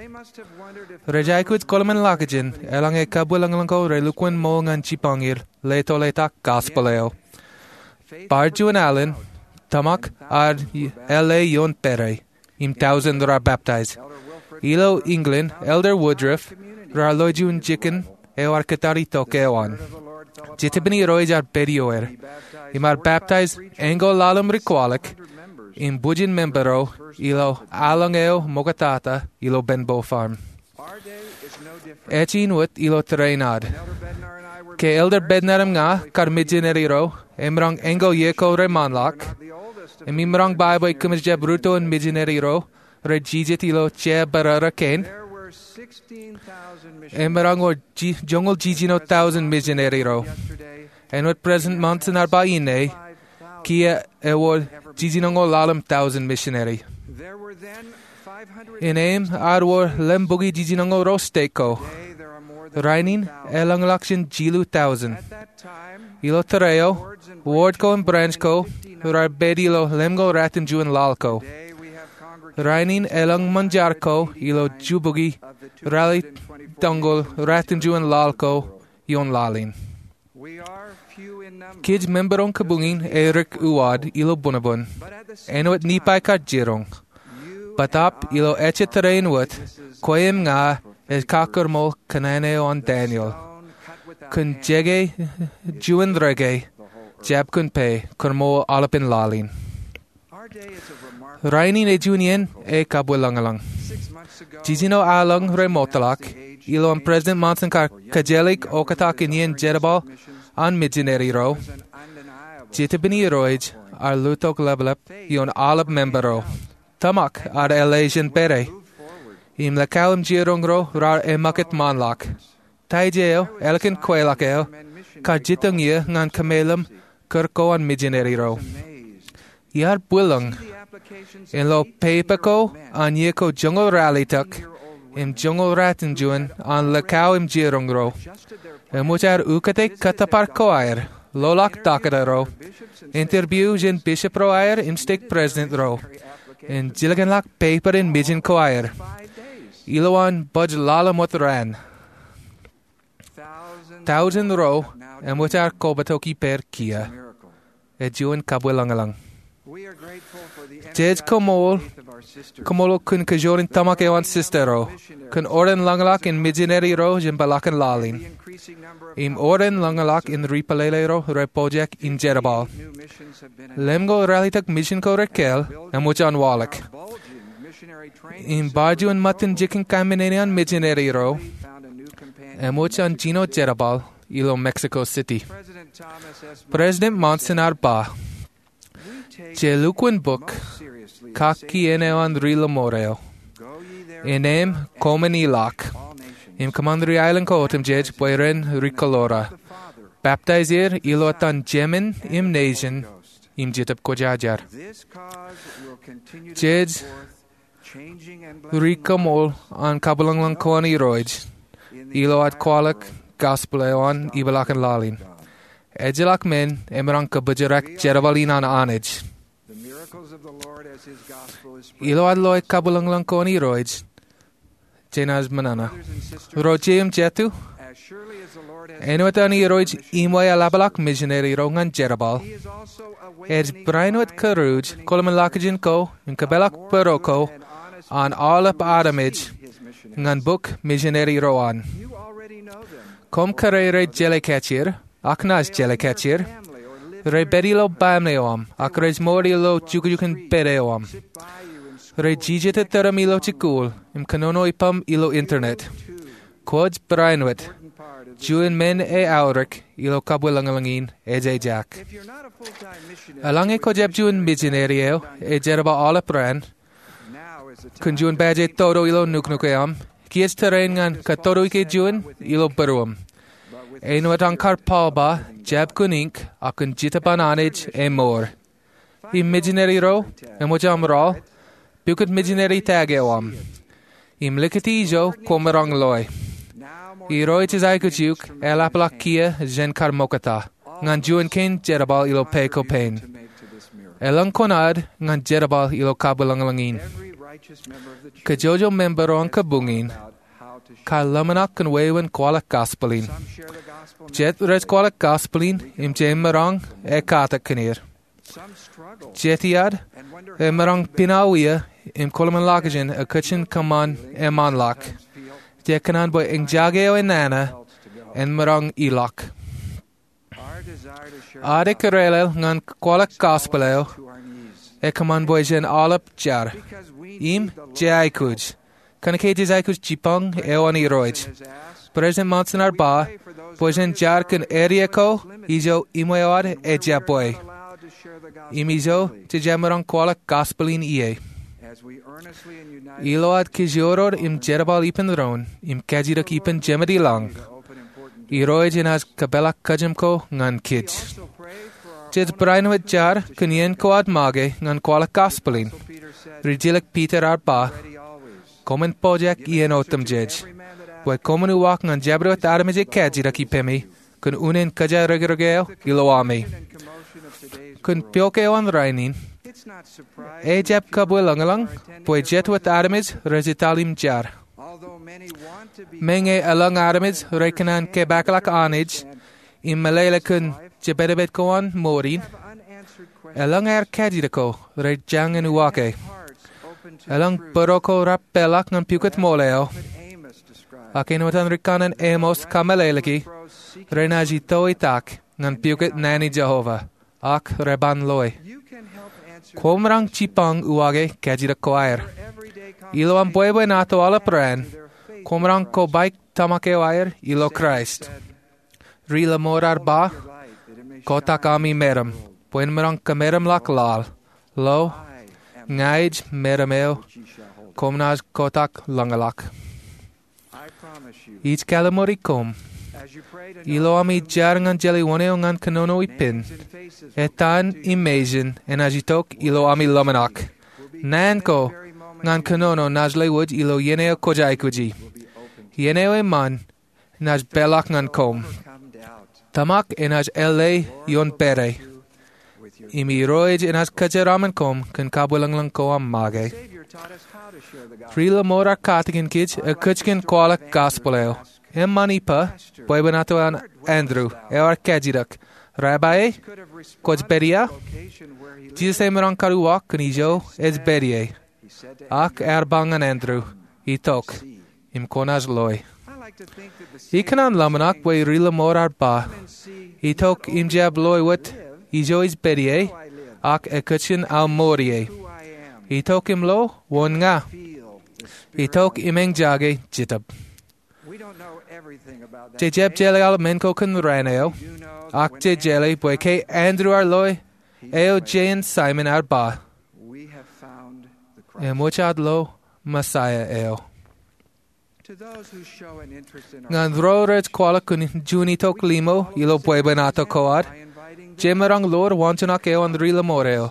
Rej aikuj kōḷmānḷọkjeṇ eḷaññe kabwilōñlōñ ko relukkuun ṃool ñan jipañ er leto letak gospel eo. Bar juon alen, tōmak ear āle ioon pere, im tọujin raar baptize. Ilo England, Elder Woodruff raar lo juon jikin eo ear kōttar itok eo an. Jetōbin Irooj ear pād ioer, im ear baptize eñko ḷalem ri kwaḷọk, im bwijin member ro ilo aolōñ eo ṃoktata ilo Benbow Farm. Ej in wōt ilo tōre in ad. Ke Elder Bednar im ña kar mijineri ro, emaroñ eñko iiō ko reṃaanḷọk, im emaroñ ba bwe kōmij jab rūtto in mijineri ro rej jijet ilo jea barāra kein, emaroñ wōr ji-, joñoul jiljino tọujin mijineri ro. Āinwōt President Monson ear ba inne, kiiō ewōr jiljinoñoul ḷalem tọujin misineri. Innām ear wōr lembuki jiljinoñoul ruo stek ko. Rainin elōñḷọk jān jilu tọujin. Ilo tōre eo, ward ko im branch ko raar pād ilo lemñoul ratimjuon laḷ ko. Rainin elōñ ṃōn jar ko ilo jubukwi ralitōñoul ratimjuon laḷ ko ioon laḷ in. Kōj member in kabuñ in erik uwaad ilo būnbōn. Āinwōt Nifai kar jiroñ, bōtaab ilo ejjet tōre in wōt, kwe im ña ej kakōrmool kōṇaan eo an Daniel. Kōn jeke juon reke, jab kōn pā, kōrmool aolepān laḷ in. Rainin ej juon iien ekabwilōñlōñ. Jiljino aolōñ remootḷọk, ilowaan President Monson kar kōjelik oktak in iien jerbal an mijineri ro, Jetōbin Irooj ear luttok ḷapḷap ioon aolep member ro. Tōmak ear āle jān pere, im likao im jiroñ ro raar eṃṃakūt ṃaanḷọk. Tied eo, ālikin kweilọk eo, kar jitōñ iiō ñan kōmeḷeḷe kūr ko an mijineri ro. Iar bwilōñ in lo pepa ko an iiō ko joñoul ralitōk im joñoul ratimjuon an likao im jiroñ ro. Eṃōj aer ukōte kōttōpar ko aer, loḷọk taktō ro, interview jān bishop ro aer im stake president ro, im jilkinḷọk pepa in mijin ko aer. Ilowaan baj ḷalem wōt raan. Tọujin ro eṃōj aer kobatok ippāer kiiō. Ej juon kabwilōñlōñ. Jej koṃṃool, koṃṃool kōn kajjoor in tōmak eo an sista ro, kōn oren ḷōñḷọk in mijineri ro jān peḷaakin laḷ in, im oren ḷōñḷọk in ri pālele ro rej pojak in jerbal. Lemñoul ralitōk mijin ko rekāāl eṃōj an waḷọk. Im bar juon ṃōttan jikin kaṃṃōṇōṇō an mijineri ro, eṃōj an jino jerbal ilo Mexico City. President Monson ear ba, je lukkuun bōk kien eo an ri lọmọọr eo, innām koṃwin ilọk im kōṃṃan ri aelōñ ko otemjej bwe ren ri-kōḷoḷā, baptaiz er ilo etan Jemān im Nejin im Jetōb Kwōjarjar. Jej ri-koṃṃool an kabwilōñlōñ ko an Irooj ilo ad kwaḷọk gospel eo an ipeḷaakin laḷ in. Ejjeḷọk men emaroñ kōpojrak jerbal in an Anij. Ilo ad loe kabwilōñlōñ ko an Irooj, jenaaj ṃōṇōṇō. Ro jeiū im jatū, āinwōt an Irooj iṃwe eḷapḷọk mijineri ro ñan jerbal, ej barāinwōt kōruuj kōḷmānḷọkjeṇ ko im kōpeḷḷọk bōro ko an aolep armej ñan bōk mijineri ro an. Koṃ kōrā rej jeḷā kajjier, ak naaj jeḷā kajjier. Rej pād ilo baaṃle eo aṃ, ak rej mour ilo jukjukin pād eo aṃ. Rej jijet tōrōm ilo jikuuḷ im kōnono ippaṃ ilo internet. Kwōj barāinwōt juon men eaorōk ilo kabwilōñlōñ in ej ejaak. Eḷaññe kwōj jab juon mijineri eo ej jerbal aolep raan, kōn juon pād eo ej toto ilo nuknuk eo aṃ, kiiō ej tōre in ñan kōtoto ike juon ilo būruōṃ. Āinwōt an kar Paul ba, jab kōn ink, ak kōn Jetōb an Anij emour. Im mijineri ro eṃōj aṃ rọọl, pukot mijineri taag eo aṃ. Im likūt ijo kwōmaroñ loe. Irooj ej aikuj eok eḷapḷọk kiiō jān kar ṃokta ñan juon kein jerbal ilo pā ko pāān. Eḷaññe kwōnaaj ñan jerbal ilo kabwilōñlōñ in, kajjojo member eo an kabuñ in kar ḷōmṇak kōn wāween kwaḷọk gospel in. Jet rej kwaḷọk gospel in im jemaroñ ekkatak kōn er. Jet iaad emaroñ piṇaō wia im kōḷmānḷọkjeṇ ekōjkan kōṃṃan eṃṃanḷọk. Jet kōṇaan bwe eñjake eo enana en maroñ ilọk. Ad ekkar leḷọk ñan kwaḷọk gospel eo ekōṃṃan bwe jen aolep jar im jeaikuj. Kōnke jej aikuj jipañ eo an Irooj. President Monson ear ba bwe jen jar kōn area ko ijo iṃwe eo ad ejjab bwe im ijo jej jab maroñ kwaḷọk gospel in ie. Ilo ad kōjoror im jerbal ippān doon im kajjitōk ippān Jemān ilañ, Irooj enaaj kōpeḷḷọk kōjām ko ñan kōj. Jej barāinwōt jar kōn iien ko ad make ñan kwaḷọk gospel in. Rijilōk Piter ear ba, koṃwin pojak iien otemjej, bwe koṃwin uwaak ñan jabdewōt armej ekajjitōk ippemi kōn unin kōjā rōkrōk eo ilo ami. Kōn piok eo an rainin, ejjab kabwilōñlōñ bwe jet wōt armej rej etal im jar. Meñe eḷaññe armej rej kōṇaan kōpeḷḷọk Anij im meḷeḷe kōn jepedped ko an mour in, eḷaññe aer kajjitōk ko rej jañin uwaake. Eḷaññe bōro ko rab peḷḷọk ñan pukot ṃool eo, ak āinwōt an rikanaan Amos kameḷeḷeiki, renaaj itoitak ñan pukot naan in Jeova, ak reban loe. Kwōmaroñ jipañ uwaake kajjitōk ko aer. Ilo aṃ bwebwenato aolep raan, kwōmaroñ kobaik tōmak eo aer ilo Kraist. Ri-lọmọọr ear ba, kotak ami meram, bwe en maroñ kōmeramḷọk laḷ. Lo, ña ij meram eo koṃ naaj kotak ḷōñḷọk. Ij kalliṃuri koṃ, ilo ami jar ñan jeḷā wōn eo ñan kōnono ippān, etan im mejān enaaj itok ilo ami ḷōmṇak. Naan ko ñan kōnono naaj lewōj ilo iien eo kwōj aikuji. Iien eo eṃṃan enaaj peḷḷọk ñan koṃ. Tōmak enaaj ālle ioon pāde. Im Irooj enaaj kōjeraṃṃan koṃ kōn kabwilōñlōñ ko aṃ make. Ri-lọmọọr ear katakin kōj ekōjkan kwaḷọk gospel eo. Eṃṃan ippa bwebwenato an Andrew eo ear kajjitōk, "Rabbi, kwōj pād ia?" Jisōs emaroñ kar uwaak kōn ijo ej pād ie. Ak ear ba ñan Andrew, "Itok, im kwōnaaj loe." Ikōṇaan ḷōmṇak bwe ri-lọmọọr ar ba, "Itok im jab loe wōt ijo ij pād ie, ak ekkejel aō mour ie. Itok im lo wōn ña. Itok im eñjake Jetōb." Jej jab jeḷā aolep men ko kōn raan eo, ak jej jeḷā bwe ke Andrew ear loe eo, Jay im Simon ear ba, "Eṃōj ad lo Messiah eo." Ñan ro rej kwaḷọk kōn juon itok limo ilo bwebwenato ko ad, jemaroñ ḷoor waanjoñak eo an ri-lọmọọr eo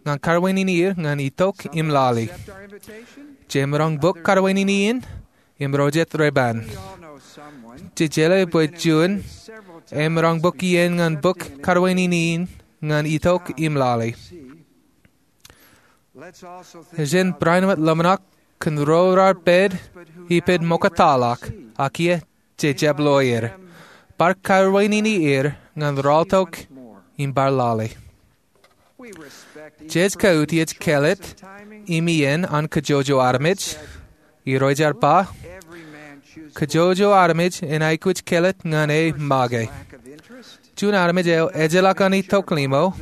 ñan kawōnṃaanḷọk er ñan itok im lale. Jemaroñ bōk kawōnṃaanḷọk in im ro jet reban. Jej jeḷā bwe juon emaroñ bōk iien ñan bōk kawōnṃaanḷọk in ñan itok im lale. Jen barāinwōt ḷōmṇak kōn ro raar pād ippaṃ ṃoktaḷọk, ak iiō jej jab loe er. Bar kawōnṃaanḷọk er ñan rọọltok im bar lale. Jej kautiej kāālōt im iien an kōjwōjwō armej. Irooj ear ba, "Kōjwōjwō armej en aikuj kāālōt ñan e make." Juon armej eo ejjeḷọk an itok limo,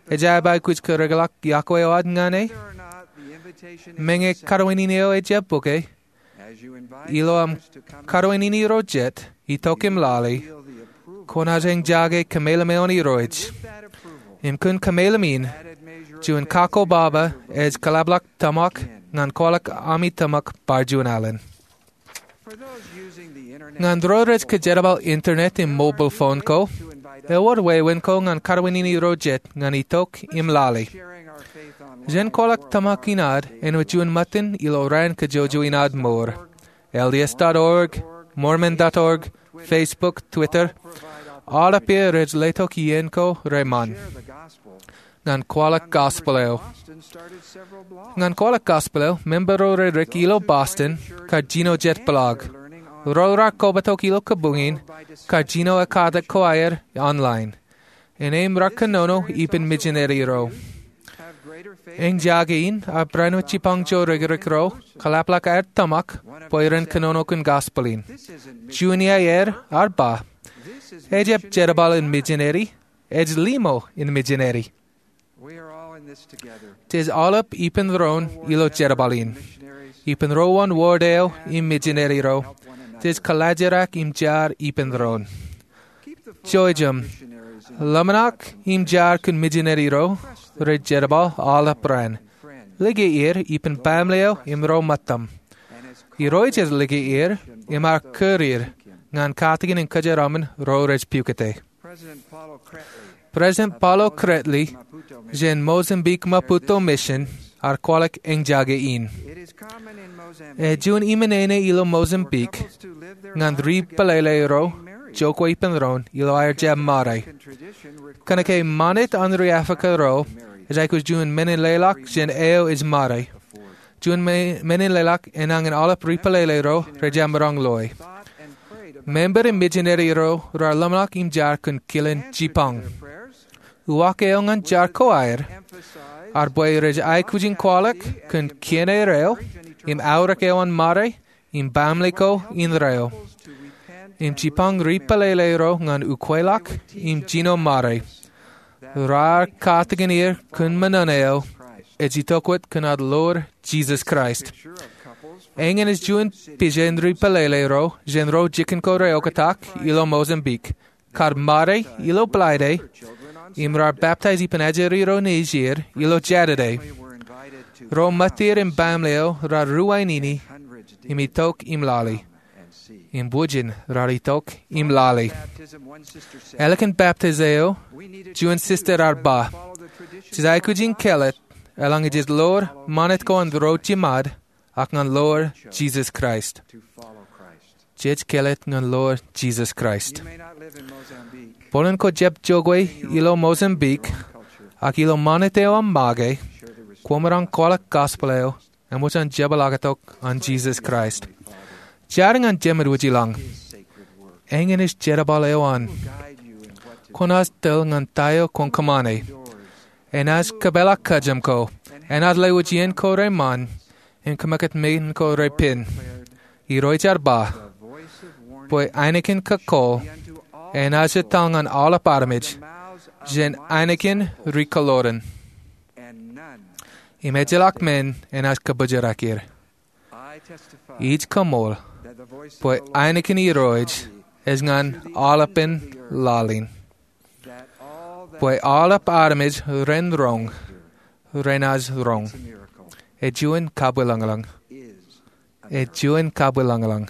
ejjab aikuj kōrōkḷọk yokwe eo ad ñan e. Meñe kawōnṃaanḷọk eo ejjab bōke, ilo aṃ kawōnṃaanḷọk ro jet itok im lale, kwōnaaj eñjake kōmeḷeḷe eo an Irooj. Im kōn kōmeḷeḷe in, juon kakkobaba ej kōḷapḷọk tōmak ñan kwaḷọk ami tōmak bar juon alen. Ñan ro rej kōjerbal internet im mobile phone ko, ewōr wāween ko ñan kawōnṃaanḷọk ro jet ñan itok im lale. Jen kwaḷọk tōmak in ad āinwōt juon ṃōttan ilo raan kōjwōjwō in ad mour. L D S dot org, Mormon dot org, Facebook, Twitter, aolep er rej letok iien ko reṃṃan ñan kwaḷọk gospel eo. Ñan kwaḷọk gospel eo, member ro rej ilo Boston kar jino jet blog. Ro raar kobatok ilo kabuñ in kar jino ekkatak ko aer online. Innām raar kōnono ippān mijineri ro. Eñjake in, ak barāinwōt jipañ ijo rikrik ro, kōḷapḷọk aer tōmak bwe ren kōnono kōn gospel in. Juon iaer ear ba, "Ejjab jerbal in mijineri, ej limo in mijineri." Jej aolep ippān doon ilo jerbal in. Ippān ro wōn ward eo im mijineri ro. Jej kōḷaajrak im jar ippān doon. Jouj im ḷōmṇak im jar kōn mijineri ro rej jerbal aolep raan. Lōke er ippān baaṃle eo im ro ṃōttaṃ. Irooj ej lōke er im ear kūr er ñan katakin in kōjeraṃṃan ro rej pukot e. President Paulo Kretly jān Mozambique Maputo Mission ear kwaḷọk eñjake in. Ej juon iṃōṇōṇō ilo Mozambique ñan ri pālele ro jokwe ippān doon ilo aer jab ṃare. Kōnke ṃanit an ri Africa ro ej aikuj juon men in leḷọk jān eo ej ṃare. Juon me-, men in leḷọk enañin aolep ri pālele ro rej jab maroñ loe. Member im mijineri ro raar ḷōmṇak im jar kōn kilen jipañ. Uwaak eo ñan jar ko aer, ear bwe rej aikuj in kwaḷọk kōn kien er eo, im aorōk eo an ṃare, im baaṃle ko indeeo. Im jipañ ri pālele ro ñan ukweḷọk, im jino ṃare. Raar katakin er kōn ṃōṇōṇō eo, ej itok wōt kōn ad ḷoor Jisōs Kraist. Eñin ej juon pijen ri pālele ro, jān ro jikin ko reoktak, ilo Mozambique. Kar ṃare ilo Bōḷaide, im raar baptize ippān ajri ro nejier, ilo Jātide. Ro ṃōttir im baaṃle eo, raar ruwainini, im itok im lale. Im wūjin raar itok im lale. Ālikin baptize eo, juon sister ear ba, "Jej aikuj in kāālōt, eḷaññe jej ḷoor ṃanit ko an ro jiṃad, ak ñan ḷoor Jisōs Kraist." Jej kāālōt ñan ḷoor Jisōs Kraist. Bōlen kwō jab jokwe ilo Mozambique, ak ilo ṃanit eo aṃ make, kwōmaroñ kwaḷọk gospel eo, eṃōj an jepḷaaktok an Jisōs Kraist. Jar ñan Jemedwōj ilañ. Eñin ej jerbal eo an. Kwōnaaj tōl ñan ta eo kwōn kōṃṃane. Enaaj kōpeḷḷọk kajjien ko. Enaaj lewōj iien ko reṃṃan im kōmākūt men ko repen. Irooj ear ba bwe ainikien kōkkool enaaj etal ñan aolep armej jān ainikien ri-kōḷoran. Im ejjeḷọk men enaaj kabōjrak er. Ij kaṃool bwe ainikien Irooj ej ñan aolepen laḷ in, bwe aolep armej ren roñ renaaj roñ. Ej juon kabwilōñlōñ. Ej juon kabwilōñlōñ.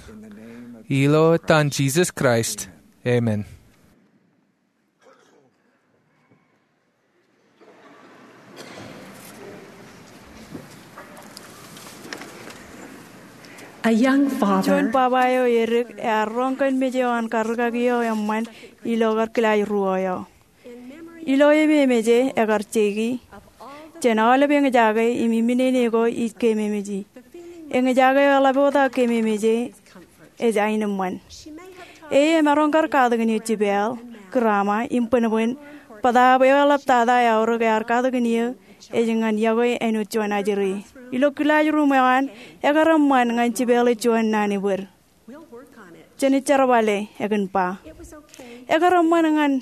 Ilo etan Jisōs Kraist, amen. A young father. Juon baba eo edik ear roñ kōn mej eo an karrikaki eo eṃṃan ilo kar kilaaj ruo eo. Ilo ememej e, ekar jeiki jān aolep eñjake im iminene ko ij kememeji. Eñjake eo eḷap wōt aō kememej e ej aenōṃṃan. E emaroñ kar katakin eō jipeḷ, grama im bōnbōn, bōtaab eo eḷap tata eaorōk ear katakin eō ej ñan yokwe āinwōt juon ajri. Ilo kilaajruum eo an, ekar eṃṃan ñan jipeḷe juon naan ebōd. Jen jerbale, ekōn ba. Ekar eṃṃan ñan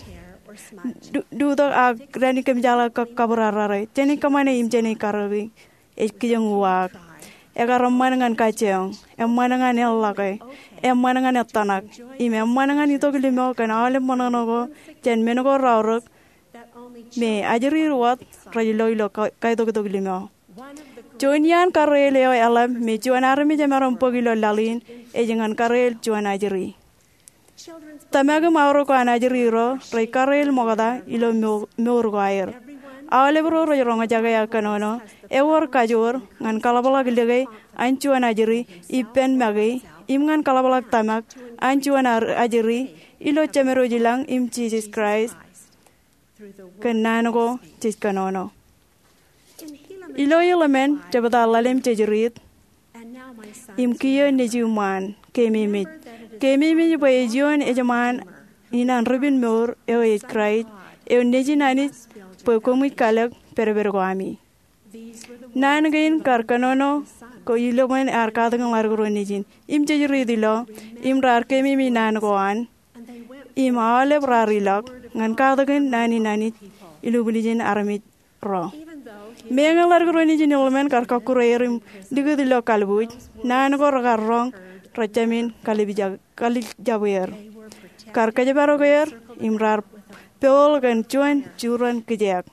du-, dutok ak dān ikōmjeḷā kab kabūrarrare. Jen kōṃṃane im jen karōki. Ej kijeñ uwaak. Ekar eṃṃan ñan kajjioñ, eṃṃan ñan eḷḷọke, eṃṃan ñan ettōṇak, im eṃṃan ñan itok limo kōn aolep ṃōṇōṇō ko jān men ko raorōk me ajri ri wōt rej lo ilo ka-, kaitoktok limo. Juon iaan karreel eo eḷap me juon armej emaroñ bōk ilo laḷ in ej ñan karreel juon ajri. Tōmak im aorōk ko an ajri ro rej karreel ṃokta ilo mo-, mour ko aer. Aolep ro rej roñjake aō kōnono, ewōr kajoor ñan kaḷapḷọk lōke an juon ajri ippān make, im ñan kaḷapḷọk tōmak an juon ar-, ajri ilo Jemedwōj ilañ im Jisōs Kraist kōn naan ko jej kōnono. Ilo iḷmen jebta ḷalem jejriit, im kiiō nejūṃaan, kememej. Kememej bwe ej ioon ejṃaan in an ripin mour eo ej Kraist, eo nejin Anij bwe koṃij kalōk pedped ko ami. Naan kein kar kōnono ko iḷmen ear katakin ḷaddik ro nejin im jejriit ilo, im raar kememej naan ko an, im aolep raar ilọk ñan katakin naan in Anij ilubwiljin armej ro. Meñe ḷaddik ro nejin iḷmen kar kọkkure er im likūt ilo kalbuuj, naan ko rekar roñ rejāmin kalij-, kalijjab er. Kar kōjparok er im raar pool kōn juon jurōn kijeek.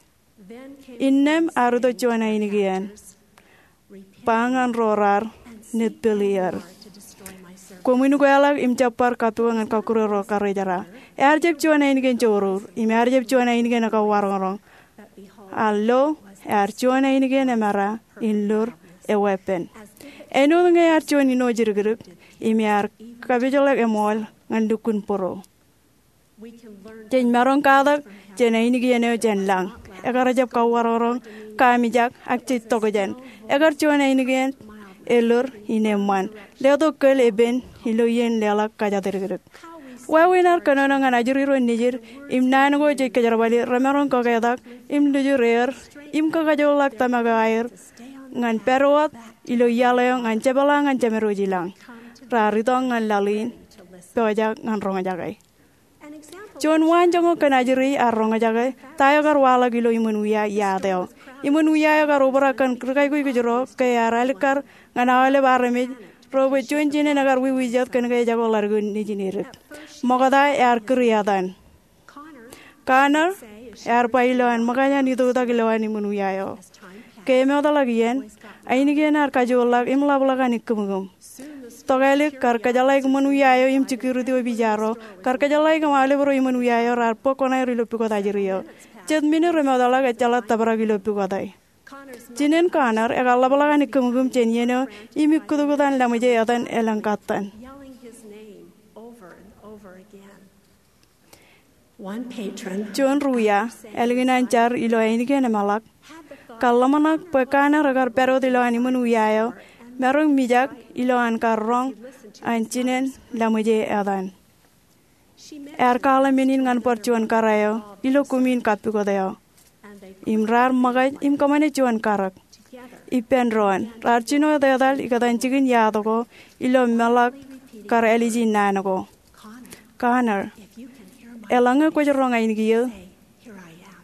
Innām ear itok juon ainikien, ba ñan ro raar netpeli er, "Koṃwin ukweḷọk im jab bar kappukot ñan kọkkure ro karrejera." Ear jab juon ainikien jourur, im ear jab juon ainikien ekauwaroñroñ. Ak lo, ear juon ainikien emera in lur eweeppān. Āinwōt ñe ear juon ino jidikdik, im ear kapijḷọk eṃool ñan lukkuun būruō. Jej maroñ katak jān ainikien eo jān lañ. Ekar jab kauwaroñroñ, kaamijak, ak jej tokjān. Ekar juon ainikien elur in eṃṃan, letok kōl epen ilo iien leḷọk kōjatdikdik. Wāween ad kōnono ñan ajri ro nejid im naan ko jej kōjerbali remaroñ kaketak im lujur er im kakajoorḷọk tōmak eo aer ñan pād wōt ilo iaḷ eo ñan jepḷaak ñan Jemedwōj ilañ. Raar itok ñan laḷ in, pojak ñan roñjake. Juon waanjoñak kōn ajri ear roñjake ta eo kar waḷọk ilo iṃōn wia iaat eo. Iṃōn wia eo kar obrak kōn ri-kaikuj kōjro ke ear alikkar ñan aolep armej ro bwe juon jinen ekar wiwi jet kōn ke ejako ḷaddik eo nejin edik. Ṃokta ear kūr etan. Connor ear ba ilo an ṃōkaj an itok tak ilowaan iṃōn wia eo. Ke emootḷọk iien, ainikien ear kajoorḷọk im ḷapḷọk an ikkūmkūm. Tokālik kar kōjeḷāik iṃōn wia eo im security office ro, kar kōjeḷāik im aolep ro iṃōn wia eo raar bōk koṇaer ilo pukot ajri eo. Jet minit remootḷọk ejjeḷọk tōprak ilo pukot e. Jinen Connor ekar ḷapḷọk an ikkūmkūm jān iien eo im ikkūtkūt an laṃōj e etan elōñ kattan. Juon ri wia, ālikin an jar ilo ainikien emeḷak, kar ḷōmṇak bwe Connor ekar pād wōt ilowaan iṃōn wia eo, maroñ mijak ilo an kar roñ an jinen laṃōj e etan. Ear kwaḷọk men in ñan bar juon kōrā eo ilo kumin kappukot eo. Im raar ṃōkaj im kōṃṃane juon karōk. Ippān doon, raar jino etetal ikōtaan jikin yaad ko ilo meḷọk kar āliji naan ko. Connor, eḷaññe kwōj roñ ainikien,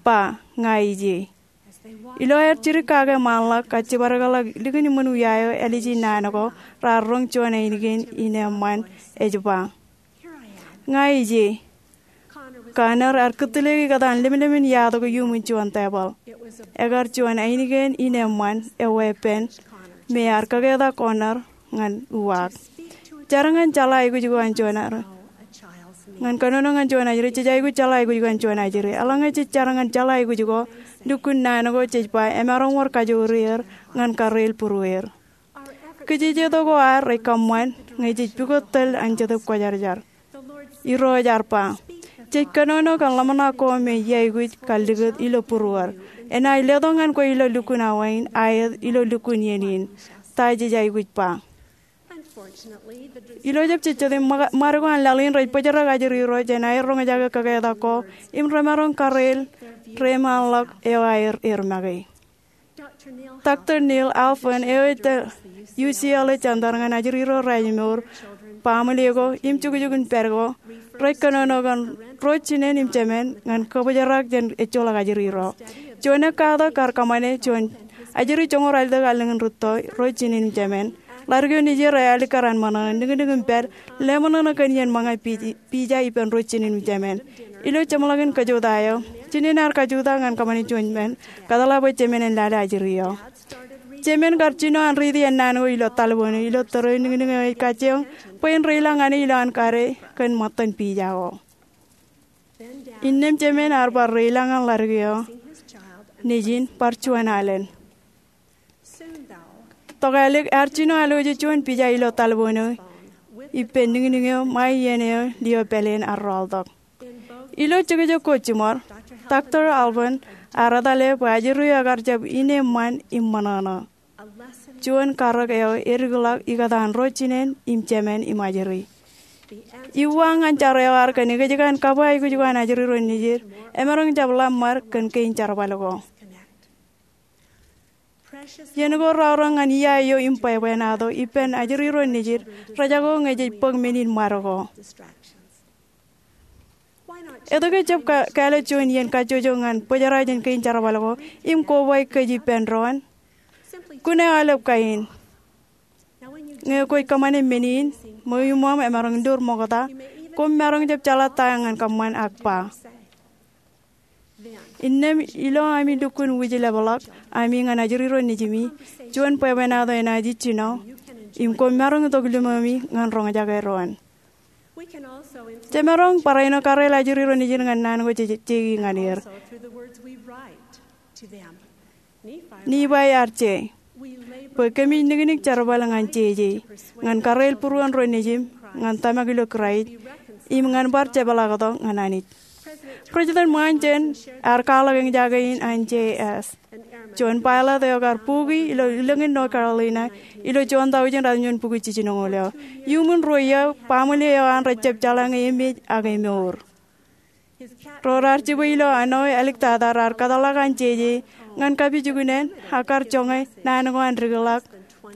ba, ña ij ie. Ilo aer jidik kake ṃaanḷọk kajjibadekḷọk likin iṃōn wia eo āliji naan ko, raar roñ juon ainikien in eṃṃan, ej ba, ña ij ie. Connor ear kūtleik ikōtaan lemlemān yaad ko iuṃwin juon tebōḷ. Ekar juon ainikien in eṃṃan eo weeppān me ear kaketak Connor ñan uwaak. Jar ñan jeḷā aikuj ko an juon ajri. Ñan kōnono ñan juon ajri, jej aikuj jeḷā aikuj ko an juon ajri. Eḷaññe jej jar ñan jeḷā aikuj ko, lukkuun naan ko jej ba emaroñ wōr kajoor er ñan karreel būrueir. Kijejeto ko ad rej kōṃṃan ñe jej pukot tōl an Jetōb Kwōjarjar. Irooj ear ba, jej kōnono kōn ḷōmṇak ko me iaikuj kallikūt ilo būruod. Enaaj letok ñan kwe ilo lukkuun awa in, aet ilo lukkuun iien in. Ta jej aikuj ba? Ilo jab jejjet im ṃa-, ṃad ko an laḷ in rej bōjrak ajri ro jān aer roñjake kaketak ko im remaroñ karreel reṃaanḷọk eo aer ear make. Doctor Neil Alfvén eo ej tar U C L A Center ñan ajri ro rājmour, baaṃle ko im jukjuk in pād ko, rej kōnono kōn ro jinen im jemān ñan kōbōjrak jān ejjeḷọk ajri ro. Juon ekkatak kar kōṃṃane juon ajri joñoul ralitōk allōñ in rūtto, ro jinen im jemān, ḷadik eo nejier ej alikkar an ṃōṇōṇō, niknik im pād, leṃōṇōṇō kōn iien ṃōñā pij-, pija ippān ro jinen im jemān. Ilo jeṃḷọkin kajutak eo, jinen ear kajutak ñan kōṃṃane juon men, kōtḷā bwe jemān en lale ajri eo. Jemān kar jino an riiti ennaan ko ilo talboon eo ilo tōre eo niknik eo ej kajjioñ bwe en reilañ ñan e ilo an kade kōn ṃōttan pija ko. Innām jemān ear bar reilañ ñan ḷadik eo nejin bar juon alen. Tokālik ear jino alwōje juon pija ilo talboon eo ippān niknik eo ṃae iien eo lio pāleen ear rọọltok. Ilo jekjek ko jiṃor, Doctor Alfvén ear etale bwe ajri eo ekar jab in eṃṃan im ṃōṇōṇō. Juon karōk eo edikḷọk ikōtaan ro jinen im jemān im ajri. Iuwaak ñan jar eo ad kōn ekōjkan kabwe aikuj ko an ajri ro nejid, emaroñ jab ḷōṃṃad kōn kein jerbal ko. Iien ko raorōk ñan ia eo im bwebwenato ippān ajri ro nejid, rejako ñe jej bōk men in ṃad ko. Etke jab ka-, kāālōt juon iien kajjojo ñan bōjrak jān kein jerbal ko im koba kōj ippān doon? Kōn aolep kain. Ñe kwōj kōṃṃane men in, ṃweo iṃōṃ emaroñ lur ṃokta, koṃ maroñ jab jeḷā ta ñan kōṃṃan ak ba. Innām ilo ami lukkuun wūjlepḷọk ami ñan ajri ro nejimi, juon bwebwenato enaaj ijjino, im koṃ maroñ itok limomi ñan roñjake doon. Jemaroñ barāinwōt karreel ajri ro nejid ñan naan ko jej jeiki ñan er. Nifai ear je, bwe kōmij niknik jerbal ñan jeje, ñan karreel būruon ro nejim, ñan tōmak ilo Kraist, im ñan bar jepḷaaktok ñan Anij. President Monson ear kwaḷọk eñjake in an J S, juon pilot eo kar buki ilo ilōñ in North Carolina ilo juon taujin ratimjuon bukwi jiljinoñoul eo. Iuṃwin ruo iiō, baaṃle eo an rej jab jeḷā ñe emej ak emour. Ro raar jibwe ilo āne eo āliktata raar kōtḷọk an jeje ñan kapijuknen ak kar joñe naan ko an dikḷọk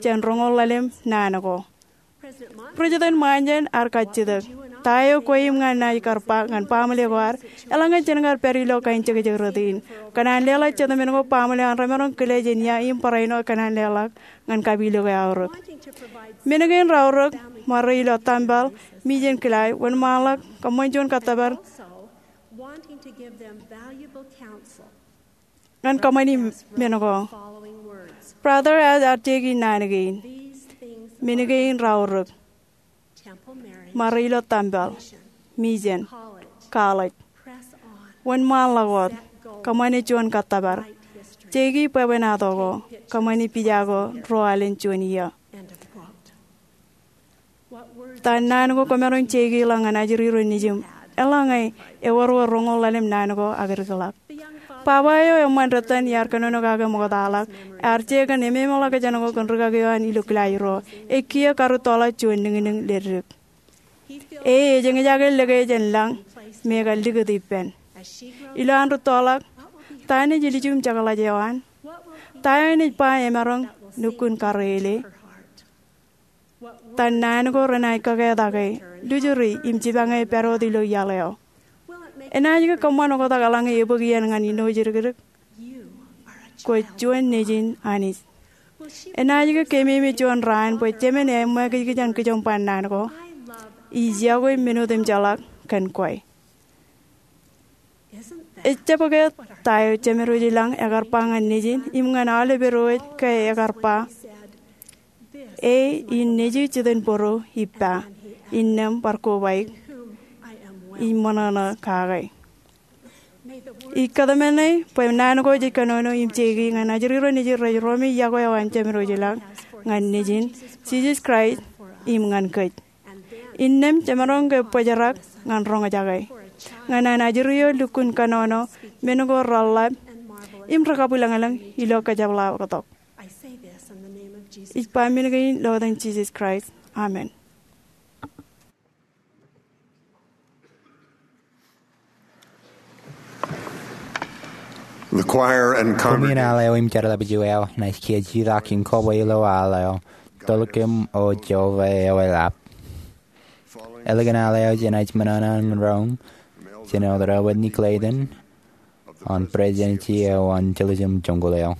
jān roñoul ḷalem naan ko. President Monson ear kajjitōk, ta eo kwe im ña naaj kar ba ñan baaṃle ko ad, eḷaññe jen kar pād ilo kain jekjek rot in, kōṇaan leḷọk jitōmen ko baaṃle an remaroñ kile jān ia im barāinwōt kōṇaan leḷọk ñan kapilōk eo aorōk. Men kein raorōk, ṃare ilo tempel, mijen kilaaj, wōnṃaanḷọk, kōṃṃan juon kōttōpar ñan kōṃṃani men ko. Brother Hess ear jeiki naan kein. Men kein raorōk, ṃare ilo tempel, mijen, college. Wōnṃaanḷọk wōt, kōṃṃane juon kōttōpar. Jeiki bwebwenato ko, kōṃṃani pija ko ruo alen juon iiō. Ta naan ko kwōmaroñ jeiki ḷọk ñan ajri ro nejim, eḷaññe ewōr wōt roñoul ḷalem naan ko ak dikḷọk? Baba eo eṃṃan dettan iar kōnono kake ṃoktaḷọk, ear je kōn ememḷọkjeṇ ko kōn rikaki eo an ilo kilaajruo, ej kiiō karūttoḷọk juon niknik leddik. E ej eñjake likjab jān lañ me ekar likūt ippān. Ilo an rūttoḷọk, ta eṇ ej ilju im jekḷaj eo an? Ta eo enaaj ba emaroñ lukkuun karreoule? Ta naan ko renaaj kakeetake, lujuri im jipañe pād wōt ilo iaḷ eo? Enaaj ke kōṃṃan oktak eḷaññe ebōk iien ñan āinwōt jidikdik? Kwōj juon nejin Anij. Enaaj ke keememej juon raan bwe Jemān eṃṃakijkij an kijoñ ba naan ko, ij yokwe men otemjeḷọk kōn kwe? Ejjab ke ta eo Jemād Wōjlañ ekar ba ñan Nejin im ñan aolep Irooj ke ekar ba, E in Nejū jitōnbōro ippa, innām bar kobaik, ij ṃōṇōṇō kake? Ij kōtmāne bwe naan ko ej kōnono im jeiki ñan ajri ro nejin rej roñi yokwe eo an Jemād Wōjlañ ñan Nejin, Jisōs Kraist, im ñan kōj. Innām jemaroñ ke bōjrak ñan roñjake ñan an ajri eo lukkuun kōnono men ko reḷḷap im rekabwilōñlōñ ilo kōjepḷaaktok. Ij ba men kein ilo etan Jisōs Kraist. Amen. The choir and Koṃwin congregation. Al eo im jeorḷapij eo enaaj kiiō jutak in kobwe ilo al eo, Tōl Kein O Jeova Eoḷap. Ālikin al eo jenaaj ṃōṇōṇō in roñ, jān Elder Edward Clayton, an Presidency eo an Jerusalem Joñoul eo.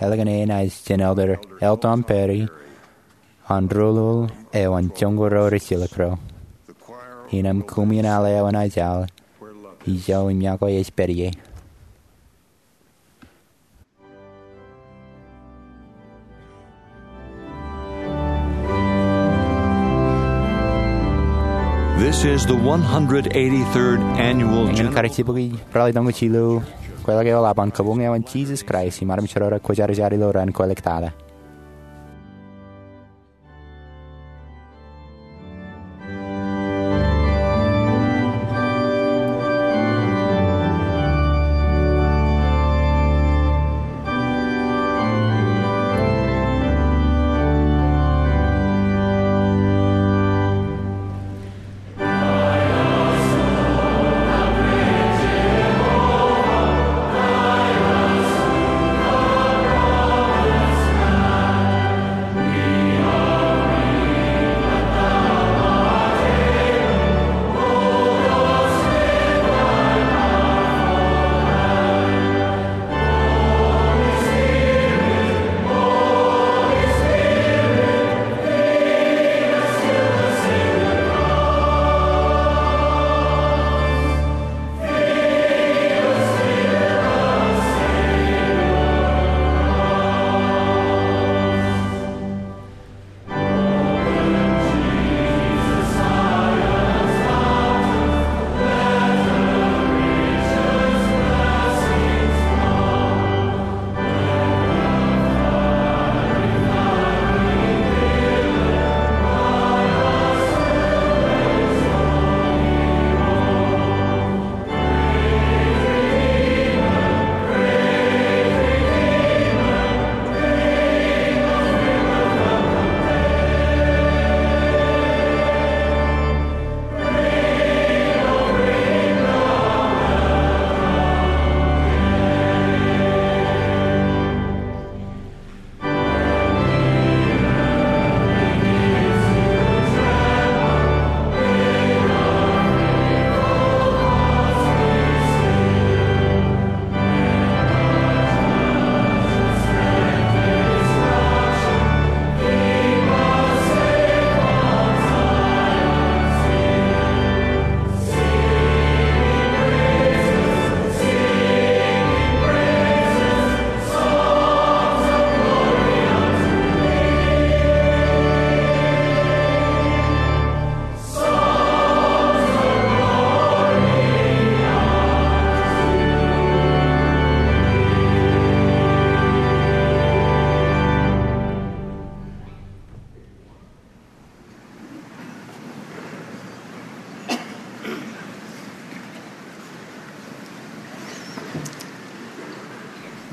Ālikin e enaaj jān Elder L. Tom Perry, an Rūruul eo an Joñoul ro rej silōk ro. Innām koṃwin al eo enaaj al, ijo im iọkwe ej pād ie. This is the one hundred eighty-third annual Eñin general karijerbōk ej ralitōñōj ilo kweilọk eo eḷap an kabuñ eo an Jisōs Kraist im armej ro rej kwōjarjar ilo ran kwōlōktata.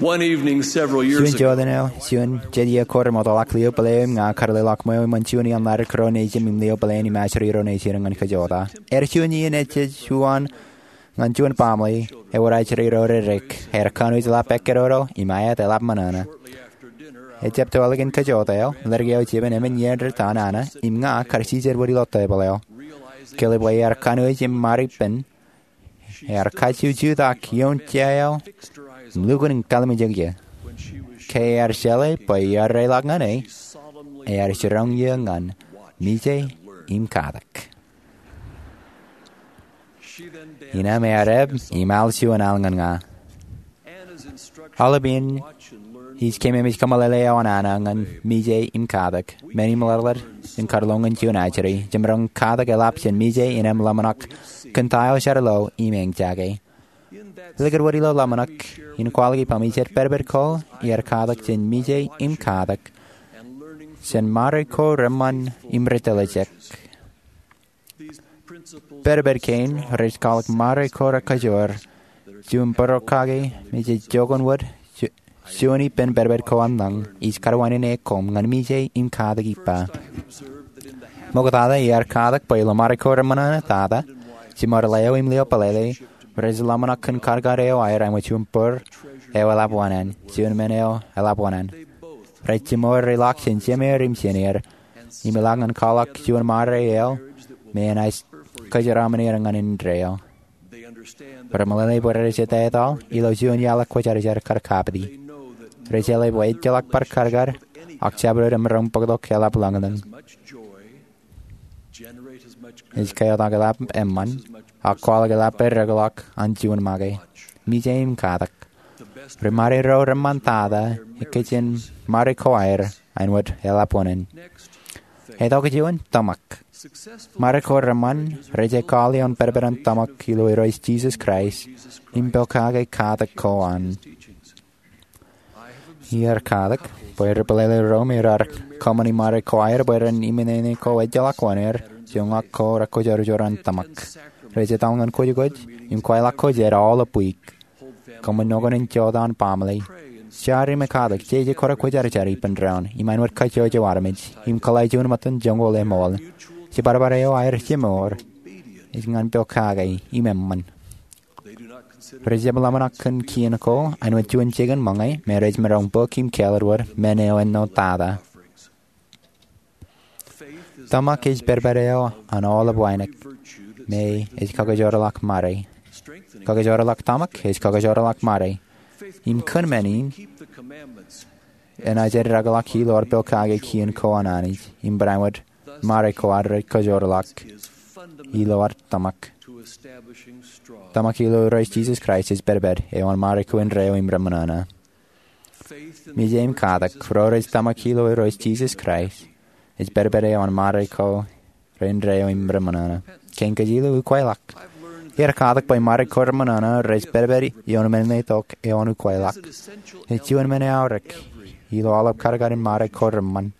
One evening several years Juon ago, jota eo, juon jet iiō ko remootḷọk, lio pālle eo im ña karuleḷọk ṃweo iṃōn juon iaan ḷaddik ro nejūṃ im lio pālle in im ajri ro nejūṃ ñan kajjojo. Ear juon iien ej juon ñan juon baaṃle ewōr ajri ro reddik. Ear kanooj ḷap ekkedodo im aet eḷap ṃōṇōṇō. Ejjab to ālikin kajjojo eo, leddik eo jeban emān iien ri ta nana im ña kar jijet wōt ilo tebōḷ eo. Kelep bwe ear kanooj im ṃad ippān, ear kajju jutak ioon jea eo im lukkuun in kallimjek eō. Ke ear jeḷā bwe iar reiḷọk ñan e, ear jiroñ eō ñan Mije im Katak. Innām ear eb im al juon al ñan ña. Aolep in ij keememej kōmeḷeḷe eo an Anna ñan Mije im Katak, men im ḷōḷḷap in kar lo ñan juon ajri. Jemaroñ Katak eḷap jān Mije innām ḷōmṇak kōn ta eo jar lo im eñjake. Likūt wōt ilo ḷōmṇak in kwaḷọk ippaṃ, ij jab pedped ko iar katak jān Mije im Katak jān ṃare ko reṃṃan im ri tōlijek. Pedped kein rej kwaḷọk ṃare ko rekajoor, juon bōro kake me jej jookun wōt ju-, juon ippān pedped ko an lañ. Ij kar wānōk koṃ ñan Mije im Katak ippa. Ṃoktata iar katak bwe ilo ṃare ko reṃōṇōṇō tata, jiṃor ḷeo im lio pālele rej ḷōmṇak kōn karkar eo aer āinwōt juon bōr eo eḷap wōṇāān, juon men eo eḷap wōṇāān. Rej jiṃor ri ḷak jān jemeir im jeneir, im eḷak ñan kwaḷọk juon ṃare eo me enaaj kōjeraaṃṃan er ñan indeeo. Remeḷeḷe bwe rej etaetaḷ ilo juon iaḷ kwōjarjar kar kapiti. Rej jeḷā bwe ejjeḷọk bar karkar, ak jabdewōt emaroñ bōktok eḷap lañlōñ. Ej kaeotak eḷap eṃṃan, ak kwaḷọk eḷap eddekḷọk an juon make. Mije im Katak, ri ṃare ro reṃṃan tata, ekkejjien ṃare ko aer āinwōt eḷap wōṇāān. Etokjān, tōmak. Ṃare ko reṃṃan rej ekkaḷ ioon pedped an tōmak ilo Irooj Jisōs Kraist im pokake katak ko an. Iar katak bwe ri pālele ro me raar kōṃṃani ṃare ko aer bwe ren iminene ko ejjeḷọk wōṇāer, joñak ko rekajoor an tōmak. Rej etal ñan kōjkōj im kweilọk ko jet aolep wiik. Kōṃṃan ṇokaṇ in jota an baaṃle. Jar im katak, jeje ko rekajoor ippān doon, im āinwōt kajjojo armej, im kōḷḷā juon ṃōttan joñoul eṃool. Jibadbad eo aer jiṃor ej ñan pokake im eṃṃan. Rej jab ḷōmṇak kōn kien ko āinwōt juon jikin ṃōñā me rej maroñ bōk im kāālōt wōt men eo ennotata. Tōmak ej pedped eo an aolep wānōk, me ej kakajoorḷọk ṃare. Kakajoorḷọk tōmak ej kakajoorḷọk ṃare. Im kōn men in, enaaj eddekḷọk ilo ad pokake kien ko an Anij, im barāinwōt ṃare ko ad rej kajoorḷọk ilo ad tōmak. Tōmak ilo Irooj Jisōs Kraist ej pedped eo an ṃare ko indeeo im reṃōṇōṇō. Mije im Katak, ro rej tōmak ilo Irooj Jisōs Kraist, ej pedped eo an ṃare ko reindeeo im reṃōṇōṇō. Kein kōj ilo ukweilọk. Iar katak bwe ṃare ko reṃōṇōṇō rej pedped ioon men letok eo an ukweilọk. Ej juon men eaorōk ilo aolep karkar in ṃare ko reṃṃan.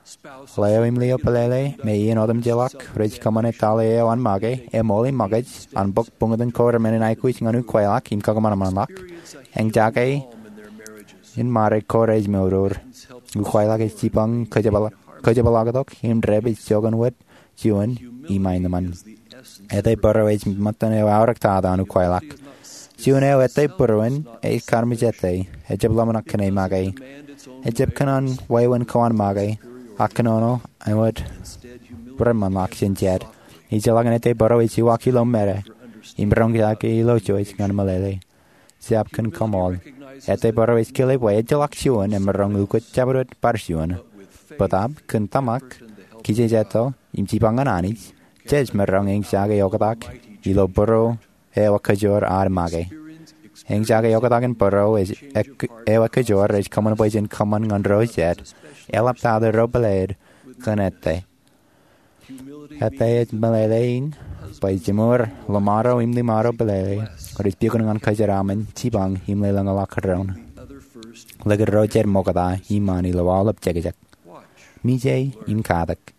Ḷeo im lio pālele me iien otemjeḷọk rej kōṃṃane tale eo an make, eṃool im makōj an bōk buñtōn ko remennin aikuj ñan ukweilọk im kakōṃanṃanḷọk. Eñjake in ṃare ko rej mour. Ukweilọk ej jipañ kōjepḷọk, kōjepḷọktok im dāpij joñan wōt juon im aenōṃṃan. Ete bōro ej ṃōttan eo eaorōk tata an ukweilọk. Juon eo ete būruon ej karmejete, ejjab ḷōmṇak kōn e make. Ejjab kōṇaan wāween ko an make, ak kōnono āinwōt reṃṃanḷọk jān jet. Ejjeḷọk an ete bōro ej uwaak ilo mera im roñjake ilo jouj ñan meḷeḷe. Jab kōn kaṃool. Ete bōro ej kile bwe ejjeḷọk juon emaroñ ukōt jabdewōt bar juon. Bōtab kōn tōmak, kijejeto, im jipañ ñan Anij, jej maroñ eñjake oktak ilo bōro eo ekajoor ad make. Eñjake oktak in bōro ej, ek-, eo ekajoor ej kōṃṃan bwe jen kōṃṃan ñan ro jet, eḷaptata ro pālele kōn ete. Ete ej meḷeḷe in bwe jiṃor ḷōṃaro im ḷōṃaro pālele rej piokun ñan kajeraaṃṃan, jipañ im lelōñḷọk doon. Likūt ro jet ṃokta iṃaan ilo aolep jekjek. Mije im katak.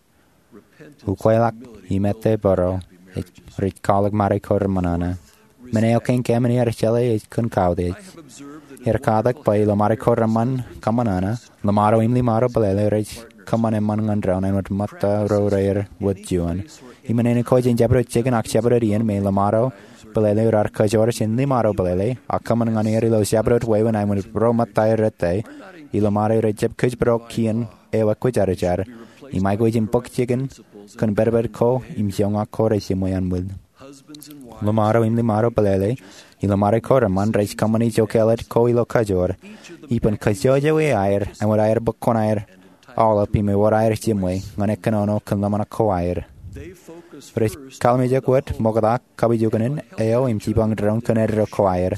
Ukweilọk im ete bōro ej, rej kwaḷọk ṃare ko reṃōṇōṇō. Men eo kein kōmin ear jeḷā ej kōn kautiej. er katak bwe ilo ṃare ko reṃṃan kōṃanana, ḷōṃaro im ḷōṃaro bōlele rej kōṃṃan eṃṃan ñan doon āinwōt ṃōtta ro reir wōt juon. Im āinwōt ko jen jabdewōt jikin ak jabdewōt iien me ḷōṃaro bōlele raar kōjoor jān ḷōṃaro bōlele, ak kōṃṃan ñan er ilo jabdewōt wāween āinwōt ro ṃōtta errā, ij ḷōṃaro rej jab kōjparok kien eo ekwōjarjar, im aikuj in bōk jikin kōn pedped ko im joñak ko rej jiṃwe anbwil. Ḷōṃaro im ḷōṃaro bōlele ilo ṃare ko reṃṃan rej kōṃṃani jokālet ko ilo kajoor, ippān kajjojo aer āinwōt aer bōk kuṇaer aolep im ewōr aer jiṃwe ñan ekkōnono kōn ḷōmṇak ko aer. Rej kallimjek wōt ṃokta kapijukunen eo im jipañ doon kōn eddo ko aer.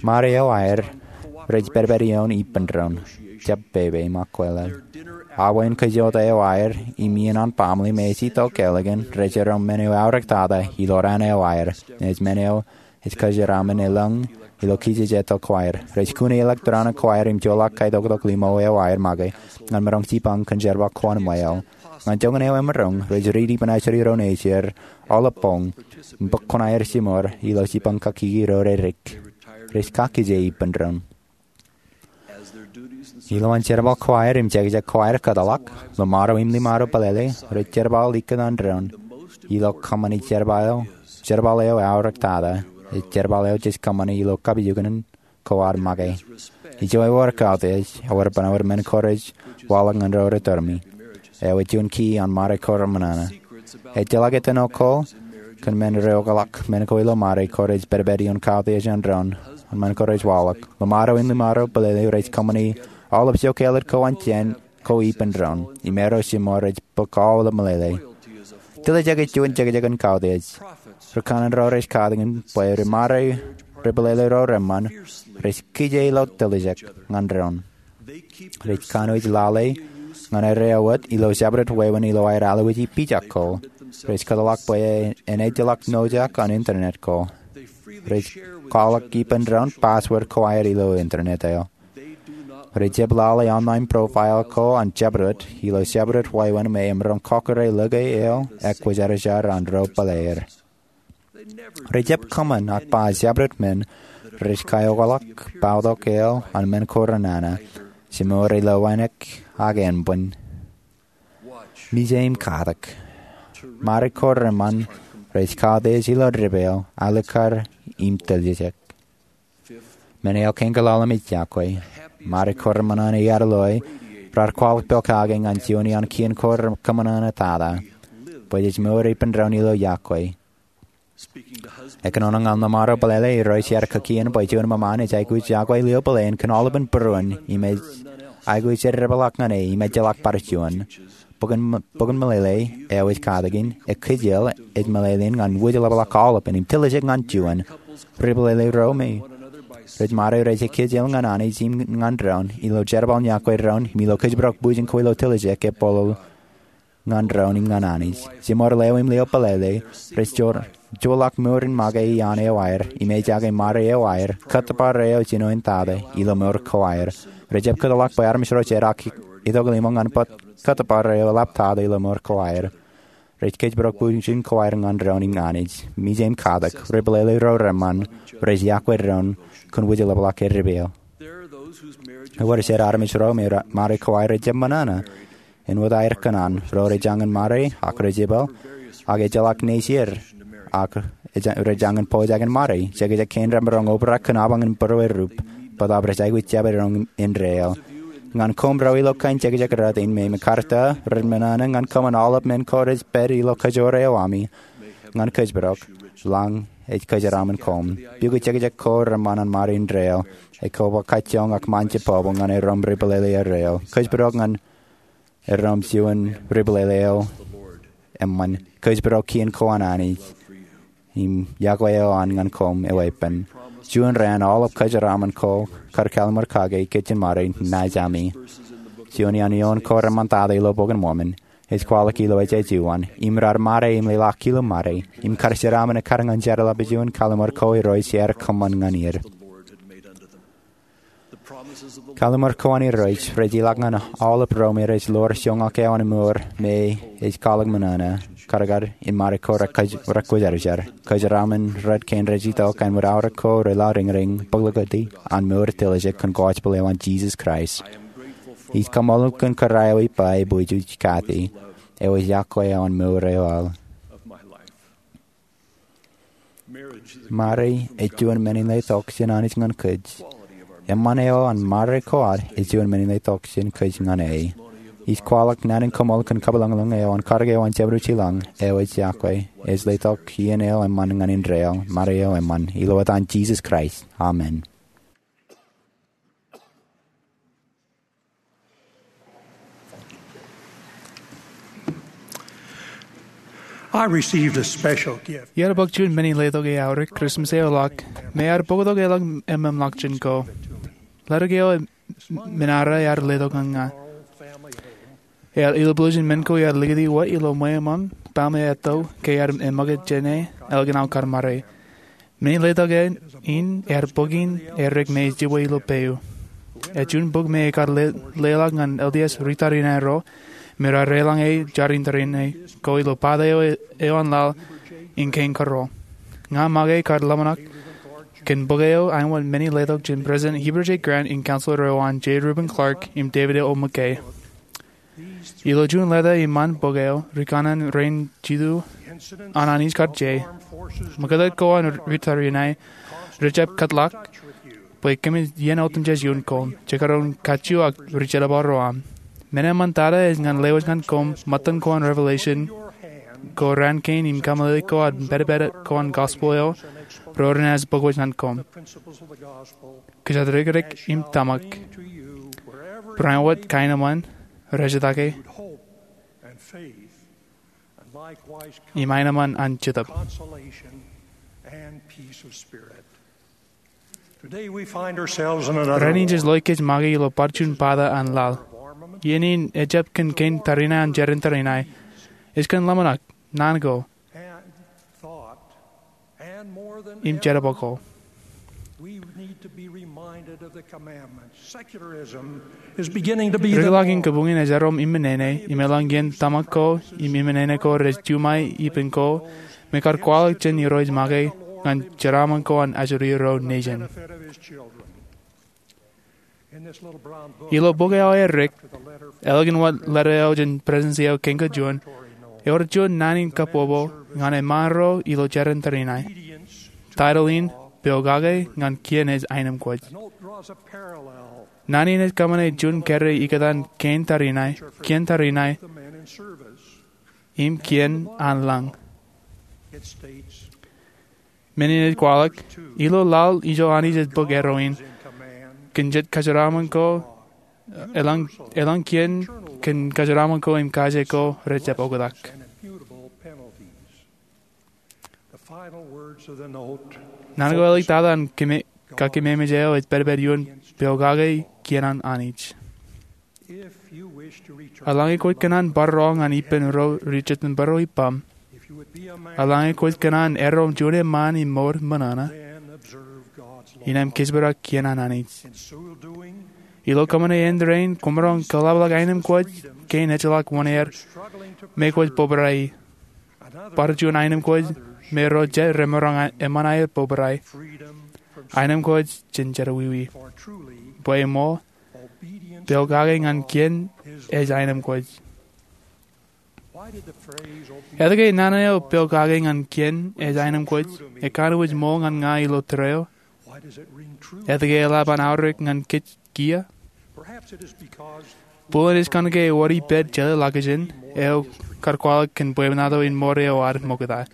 Ṃare eo aer rej pedped ioon ippān doon, jab pepe im akwāāl. Awa in kajjojo eo aer im iien an baaṃle me ej itok ālikin rej erom men eo aorōktata ilo raan eo aer, ej men eo ej kōjeraaṃṃan elōñ ilo kijeje itok ko aer. Rej kune electronic ko aer im joḷọk kaitoktok limo eo aer make ñan maroñ jipañ kōn jerbal ko an ṃweo. Ñan joñan eo emaroñ, rej riiti ippān ajri ro nejier aolep boñ im bōk kuṇaer jiṃor ilo jipañ kakkiki ro redik. Rej kakkije ippān doon. Ilowaan jerbal ko aer im jekjek ko aer kōtḷọk, ḷōṃaro im ḷōṃaro bōlele rej jerbal ikōtaan doon ilo kōṃṃani jerbal eo aorōktata, ej jerbal eo jej kōṃṃani ilo kapijukunen ko ad make. Ijo ewōr kautiej, ewōr bōn ewōr men ko rej waḷọk ñan ro rej tōrmi. Eo ej juon key an ṃare ko reṃṃan. Ejjeḷọk etan ko kōn men rej okḷọk men ko ilo ṃare ko rej pedped ioon kautiej an doon an men ko rej waḷọk. Ḷōṃaro im ḷōṃaro bōlele rej kōṃṃani aolep jokālet ko an jān ko ippān doon im arrow jiṃor rej bōk aolep meḷeḷe. Tiljek ej juon jekjek in kautiej. Ri kanaan ro rej katakin bwe ri ṃare ri bōlele ro reṃṃan rej kije ilo tiljek ñan doon. Rej kanooj lale ñan errā eo wōt ilo jabdewōt wāween ilo aer alwōji pija ko. Rej kōtḷọk bwe en ejjeḷọk ṇojak an internet ko. Rej kwaḷọk ippān doon password ko aer ilo internet eo. Rej jab lale online profile ko an jabdewōt ilo jabdewōt wāween me emaroñ kọkkure lōke eo ekwōjarjar an ro bōlele er. Rej jab kōṃṃan ak ba jabdewōt men rej kaokḷọk bautok eo an men ko renana, jimor ilo wānōk ak ānbwin. Mije im katak. Ṃare ko reṃṃan rej kautiej ilo dipeo, alikkar im tiljek. Men eo kein kaḷaḷ im ej yokwe. Ṃare ko reṃṃan an iaad loe raar kwaḷọk pokake ñan juon iaan kien ko kōṃanana tata, bwe jej mour ippān doon ilo yokwe. Ekōnono ñan ḷōṃaro bōlele ro rej kaki in bwe juon ṃōṃaan ej aikuj yokwe lio bōlen kōn aolepān būruon im ej aikuj jeddepḷọk ñan e im ejjeḷọk bar juon. Bok in, bok in Meḷeḷe eo ej katakin, ekkejel ej meḷeḷein ñan wōjḷapḷọk aolepān im tiljek ñan juon. Ri bōlele ro me rej ṃare rej ekkejel ñan Anij im ñan doon ilo jerbal in yokwe doon im ilo kōjparok bwijin ko ilo tiljek epolol ñan doon im ñan Anij. Jimor leo im lio bōlele rej joḷọk mour in make iaan eo aer im ejake ṃare eo aer kōttōpar eo jinoin tata ilo mour ko aer. Rej jab kōtḷọk bwe armej ro rej itok limo ñan bōk kōttōpar eo eḷaptata ilo mour ko aer. Rej kōjparok bwijin ko aer ñan doon im Anij. Mije im katak, ri bōlele ro reṃṃan rej yokwe doon kōn wōjḷapḷọk eddipe eo. Ewōr jet armej ro me ṃare ko aer rej jab ṃōṇōṇō āinwōt aer kōṇaan. Ro rej jañin ṃare ak rej jepel ak ejjeḷọk nejier ak rej jañin pojak in ṃare. Jekjek kein remaroñ obrak kōn apañ in būruerrup bōtaab rej aikuj jab eddoñ indeeo. Ñan koṃ ro ilo kain jekjek rot in me im ekkar ta ren ṃōṇōṇō ñan kōṃṃan aolep men ko rej pād ilo kajoor eo ami ñan kōjparok, lañ ej kōjeraaṃṃan koṃ. Pukot jekjek ko reṃṃan an ṃare indeeo, ekwe ba kajjoñ ak ṃaanjebobō ñan erom ri bōlele erreo. Kōjparok ñan erom juon ri bōlele eo eṃṃan. Kōjparok kien ko an Anij im yokwe eo an ñan koṃ eweeppān. Juon raan aolep kōjeraaṃṃan ko kar kalliṃur kake ikijjien ṃare naaj ami. Juon iaan eoon ko reṃṃan tata ilo Bok in Mormon ej kwaḷọk ilo ejja juon, im raar ṃare im leḷọk kilo ṃare im kar jeraaṃṃan ekkar ñan jeorḷap juon kalliṃur ko ro rej kōṃṃan ñan er. Kallim̧ur ko an Irooj rej ilọk ñan aolep ro me rej lor joñak eo an mour me ej kwaḷọk men ṇe, karkar in ṃare ko rekwōjarjar. Kōjeraaṃṃan rej kein rej itok an wōt aorōk ko relọriñriñ bōklōkōti an mour tiljek kōn gospel eo an Jisōs Kraist. Ij kaṃṃoolol kōn kōrā eo ippa bwe jej kate eo ej yokwe eo an mour eo aō. Ṃare ej juon men in letok jān Anij ñan kōj. Eṃṃan eo an ṃare ko ad ej juon men in letok jān kōj ñan e. Ij kwaḷọk naan in kaṃṃoolol kōn kapilōñlōñ eo an karōk eo an Jemedwōj ilañ eo ej yokwe, ej letok iien eo eṃṃan ñan indeeo, ṃare eo eṃṃan. Ilo etan Jisōs Kraist, amen. I received a special gift. Iar bōk juon men in letok eaorōk Christmas eo ḷọk, me ear bōktok elōñ eṃṃanḷọk jān ko. Letok eo men eo ear letok ñan ña. Ear ilublooj in men ko iar likūti wōt ilo ṃweo eṃṃan, baaṃle etto, ke ear eṃōkaj jān e, ālikin aō kar ṃare. Men in letok in ear bōk in errek me ej jibwe ilo peio. Ej juon bok me ekar leḷọk ñan L D S ri tariṇae ro me raar eḷaññe jar in tariṇae ko ilo pata eo an laḷ in kein kōrro. Ña make kar ḷōmṇak kōn bok eo āinwōt men in letok jān President Heber J. Grant im Counselor eo an J. Reuben Clark im David O. McKay. Ilo juon leta iṃaan bok eo, ri kanaan rein jitu an Anij kar je. Ṃōkaj ko an ri tariṇae rejjab kōtḷọk bwe kōmij iien otemjej ioon koṃ, jekdọọn kajju ak ri jerbal ro aṃ. Men eṃṃan tata ej ñan lewōj ñan koṃ ṃōttan ko an Revelation ko raan kein im kameḷeḷe ko an pedped ko an gospel eo ro renaaj bōk wōj ñan koṃ. Kōjatdikdik im tōmak. Barāinwōt kaenōṃṃan, rejjitōk e, im aenōṃṃan an Jetōb. Rainin jej loe kōj make ilo bar juon pata an laḷ. Iien in ejjab kōn kein tariṇae an jar in tariṇae. Ej kōn ḷōmṇak, naan ko, im jerbal ko. Rikḷọk in kabuñin ej erom ippān nene, im eḷaññe tōmak ko im ippān nene ko rej juṃae ippān ko, me kar kwaḷọk jān Irooj make ñan jeraaṃṃan ko an ajri ro nejin. Ilo bok eo aorōk, ālikin wōt leta eo jān Presidensi eo kein kajuon, ewōr juon naan in kabbokbok ñan eṃṃaan ro ilo jar in tariṇae. Taitōl in, Pokake ñan Kien ej Aenōṃkwōj. Naan in ej kōṃṃane juon kōrā ikōtaan kein tariṇae, kien tariṇae, im kien an lañ. Men in ej kwaḷọk, ilo laḷ ijo Anij ej bōk erro in, kōn jet kōjeraaṃṃan ko, eḷaññe kien, kōn kōjeraaṃṃan ko im kaje ko rejjab oktak. Naan ko āliktata an kakememej eo ej pedped ioon Pokake, Kien an Anij. Eḷaññe kwōj kōṇaan barro ñan ippān ro ri jitōnbōro ippaṃ, eḷaññe kwōj kōṇaan erom juon eṃṃaan im mour ṃōṇōṇō, innām kōjparok kien an Anij. Ilo kōṃṃane āindein, kwōmaroñ kaḷapḷọk aenōṃkwōj kein ejjeḷọk wōṇāer me kwōj bōbrae ie. Bar juon aenōṃkwōj me ro jet remaroñ eṃṃan aer bōbrae. Aenōṃkwōj jān jerọwiwi. Bwe ṃool, pokake ñan kien ej aenōṃkwōj. Etke naan eo pokake ñan kien ej aenōṃkwōj ekanooj ṃool ñan ña ilo tōre eo? Etke eḷap an aorōk ñan kōj kiiō? Buḷōn ej kōnke ewōr ippād jeḷā ḷọkjeṇ eo kar kwaḷọk kōn bwebwenato in mour eo ad ṃokta.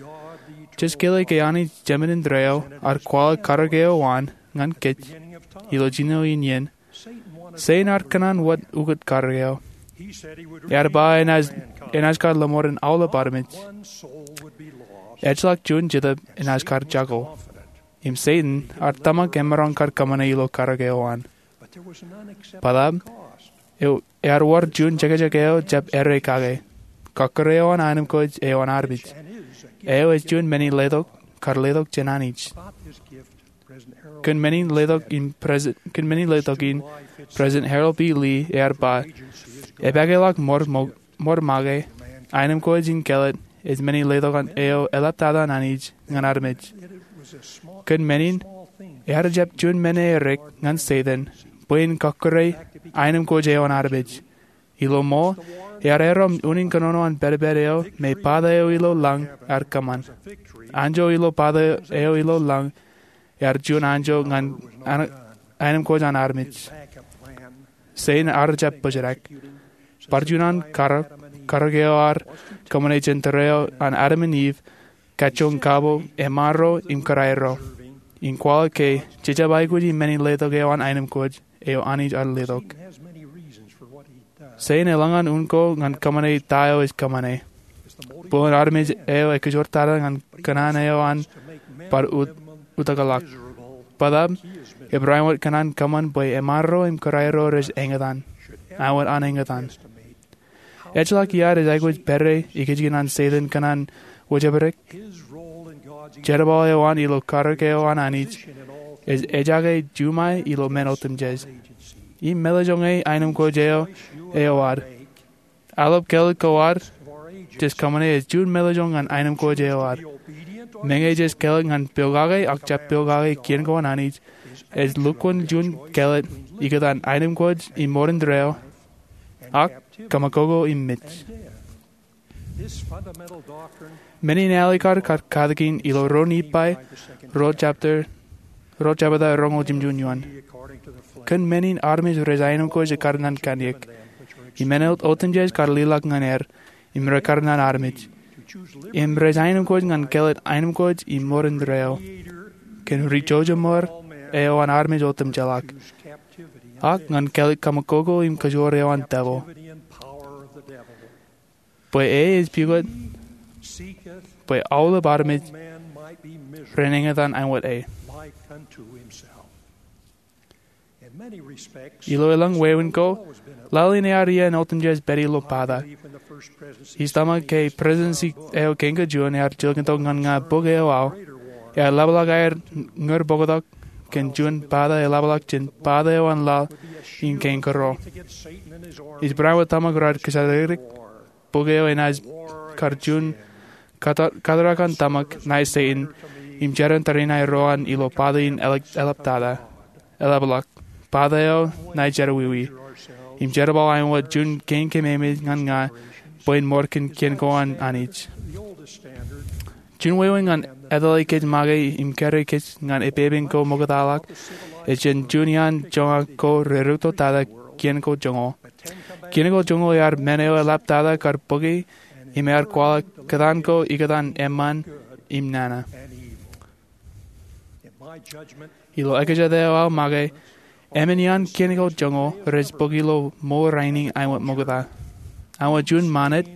Jej kile ke Anij Jemān in tōre eo ear kwaḷọk karōk eo an ñan kōj ilo jino in iien. Setan ear kōṇaan wōt ukōt karōk eo. Ear ba enaaj kar lọmọọren aolep armej. Ejjeḷọk juon jetōb enaaj kar jako. Im Setan ear tōmak emaroñ kar kōṃṃane ilo karōk eo an. Bōtaab, ear wōr juon jekjek eo jab errā kake. Kọkkure eo an aenōṃkwōj eo an armej. Eo ej juon men in letok, kar letok jān Anij. Kōn men in letok in President, kōn men in letok in President Harold B. Lee ear ba, epakeḷọk ṃor make, aenōṃṃan in kelōt ej men in letok eo eḷaptata an Anij ñan armej. Kōn men in, ear jab juon men eo erik ñan Setan bwe en kọkkure aenōṃṃan eo an armej. Ilo ṃool, ear aerro unin kōnono an pedped eo me bōtab eo ilo lañ ear kōṃṃan. Anjọ ilo bōtab eo ilo lañ ear juon anjọ ñan aenōṃṃan an armej. Setan ear jab bōjrak. Bar juon an karōk, karōk eo ear kōṃṃane jān tōre eo an Adam im Iv, kajjoñ kabo, eṃṃanro im kōrā ro, in kwaḷọk ke jejjab aikuj in men in letok eo an aenōṃṃan eo Anij ear letok. Setan elōñ an unin ko ñan kōṃṃane ta eo ej kōṃṃane. Bōlen armej eo ekajortata ñan kōṇaan eo an bar ut-, utakḷọk. Bōtab, ebar āinwōt kōṇaan kōṃṃan bwe eṃṃanro im kōrā ro rej eñtaan. Āinwōt an eñtaan. Ejjeḷọk iaad ej aikuj pād ikijjien an Setan kōṇaan wōjepdik. Jerbal eo an ilo karōk eo an Anij ej ejake juṃae ilo men otemjej. Im meḷeḷe ñe aenōṃṃan eo eo ad. Aolep kelōt ko ad jej kōṃṃane ej juon meḷeḷe ñan aenōṃṃan eo ad. Meñe jej kelōt ñan pokake ak jab pokake kien ko an Anij, ej lukkuun juon kelōt ikōtaan aenōṃṃan im ṃoornaan reo, ak kaṃakoko im mej. Men in ālikin kar katakin ilo Ruo Nifai, ruo jebta, ruo jebta roñoul jimjuon eoon. Kōn men in armej rej aenōṃṃan ekkar ñan kanniōk. Im men otemjej kar liḷọk ñan er, im rekar ñan armej. Im rej aenōṃṃan ñan kelōt aenōṃṃan im ṃoornaan reo. Kōn ri jouj im ṃōr eo an armej otemjeḷọk. Ak ñan kelōt kaṃakoko im kajoor eo an devil. Bwe e ej pukot, bwe aolep armej ren eñtaan āinwōt e. Ilo elōñ wāween ko, laḷ in ear iien otemjej pād ilo bōtōḷ. Ij tōmak ke Presidency eo Kein Kōj Juon ear jilkintok ñan ña bok eo aō, ear ḷapḷọk aer ñūr bōktok kōn juon bōtōḷ eḷapḷọk jān bōtōḷ eo an laḷ in kein kōrro. Ij bareinwōt tōmak raar kōjatdikdik bok eo enaaj kar juon kata-, katarak an tōmak ṇae Setan, im jeran tariṇae ro an ilo bōtōḷ in eḷap-, eḷaptata. Eḷapḷọk, bōtōḷ eo ṇae jerọwiwi. Im jerbal āinwōt juon kein kememej ñan ña, bwe en ṃōr kōn kien ko an Anij. Juon wāween ñan etale kōj make im kōrā kōj ñan epepen ko ṃoktaḷọk, ej jān juon iaan joñak ko rerūtto tata kien ko joñoul. Kien ko joñoul ear men eo eḷaptata kar bōki, im ear kwaḷọk kōtaan ko ikōtaan eṃṃan im nana. Ilo ekajet eo aō make, emān iaan kien ko joñoul rej bōk ilo mour rainin āinwōt ṃokta. Āinwōt juon mānit,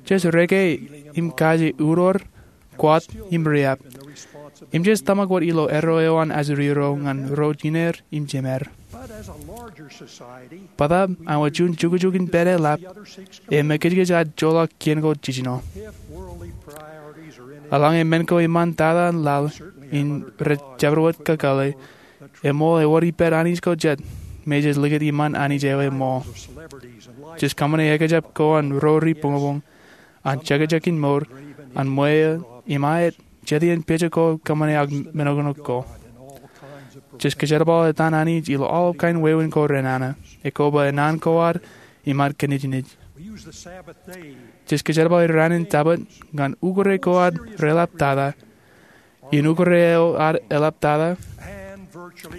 jej reke im kaje uroor, kwaḷọk im riab. Im jej tōmak wōt ilo erro eo an ajri ro ñan ro jiner im jemed. Bōtab, āinwōt juon jukjuk in pād eḷap, im kōjkōj ad joḷọk kien ko jiljino. Eḷaññe men ko iṃaan tata an laḷ in rej jabdewōt kakōḷḷe, eṃool ewōr ippād Anij ko jet, me jej likūt iṃaan Anij eo eṃool. Jej kōṃṃane ekjab ko an ro ri buñbuñ, an jekjek in mour, an ṃweo, im aet, jet iien pejek ko kōṃṃane ak men oktak ko. Jej kōjerbal etan Anij ilo aolep kain wāween ko renana, ekwe ba enaan ko ad, im ad kōnejnej. Jej kōjerbal ranin Jabōt ñan ukōre ko ad reḷaptata, iien ukōre eo ad eḷaptata,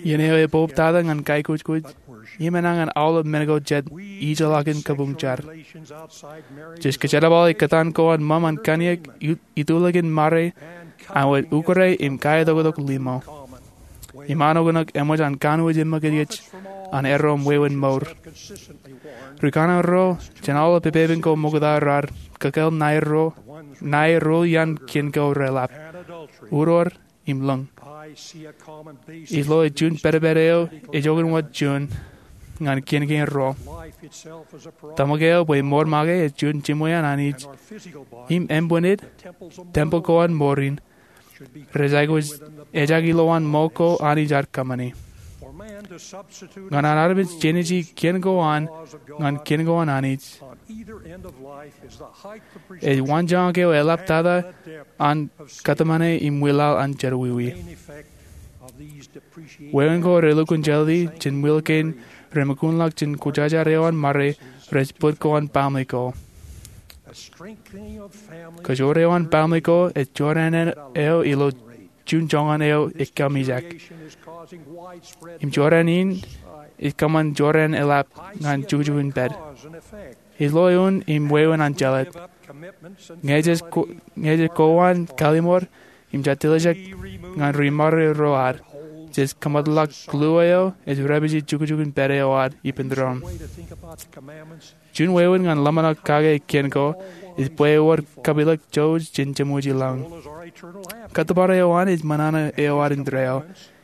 iien eo ebuñbuñtata ñan kaikuj, im enañin aolep men ko jet ijellọkin kabuñ jar. Jej kōjerbal kōtaan ko an ṃōṃ an kanniōk, itulōk in ṃare, āinwōt ukōre im kaetoktok limo. Im an oktak eṃōj an kanooj im ṃōkaj an erro im wāween mour. Ri kanaan ro jān aolep epepen ko ṃokta raar kakōḷḷe ṇae ro, ṇae ro iaan kien ko reḷap. Uroor im lōñ. Ij lo juon pedped eo ej oktak wōt juon ñan kien kein ro. Tōmak eo bwe mour make ej juon jimwe an Anij. Im ānbwinnin, tempel ko an mour in, rej aikuj ejak ilowaan ṃool ko Anij ear kōṃṃani. Ñan an armej jenaaj kien ko an ñan kien ko an Anij, ej waanjoñak eo eḷaptata an kōtmāne im wilaḷ an jerọwiwi. Wāween ko relukkuun jelōt in ṃwilaḷ kein remakkuunḷọk jān kwōjarjar eo an ṃare rej bōd ko an baaṃle ko. Kōjwōr eo an baaṃle ko ej jorrāān eo ilo juon joñan eo ekkāmijak. Im jorrāān in ej kōṃṃan jorrāān eḷap ñan jukjuk in pād. Ej lo eoon im wāween an jelōt. Ñe jej ko-, ñe jej koba an kalimur im jatiliejek ñan ri-ṃare ro ad, jej kōṃadḷọk kōḷḷā eo ej repeje jukjuk in pād eo ad ippān doon. Juon wāween ñan ḷōmṇak kake kien ko ej bwe ewōr kapilōk jouj jān jeṃwōj i lañ. Kōttōpar eo an ej ṃōṇōṇō eo ad indeeo,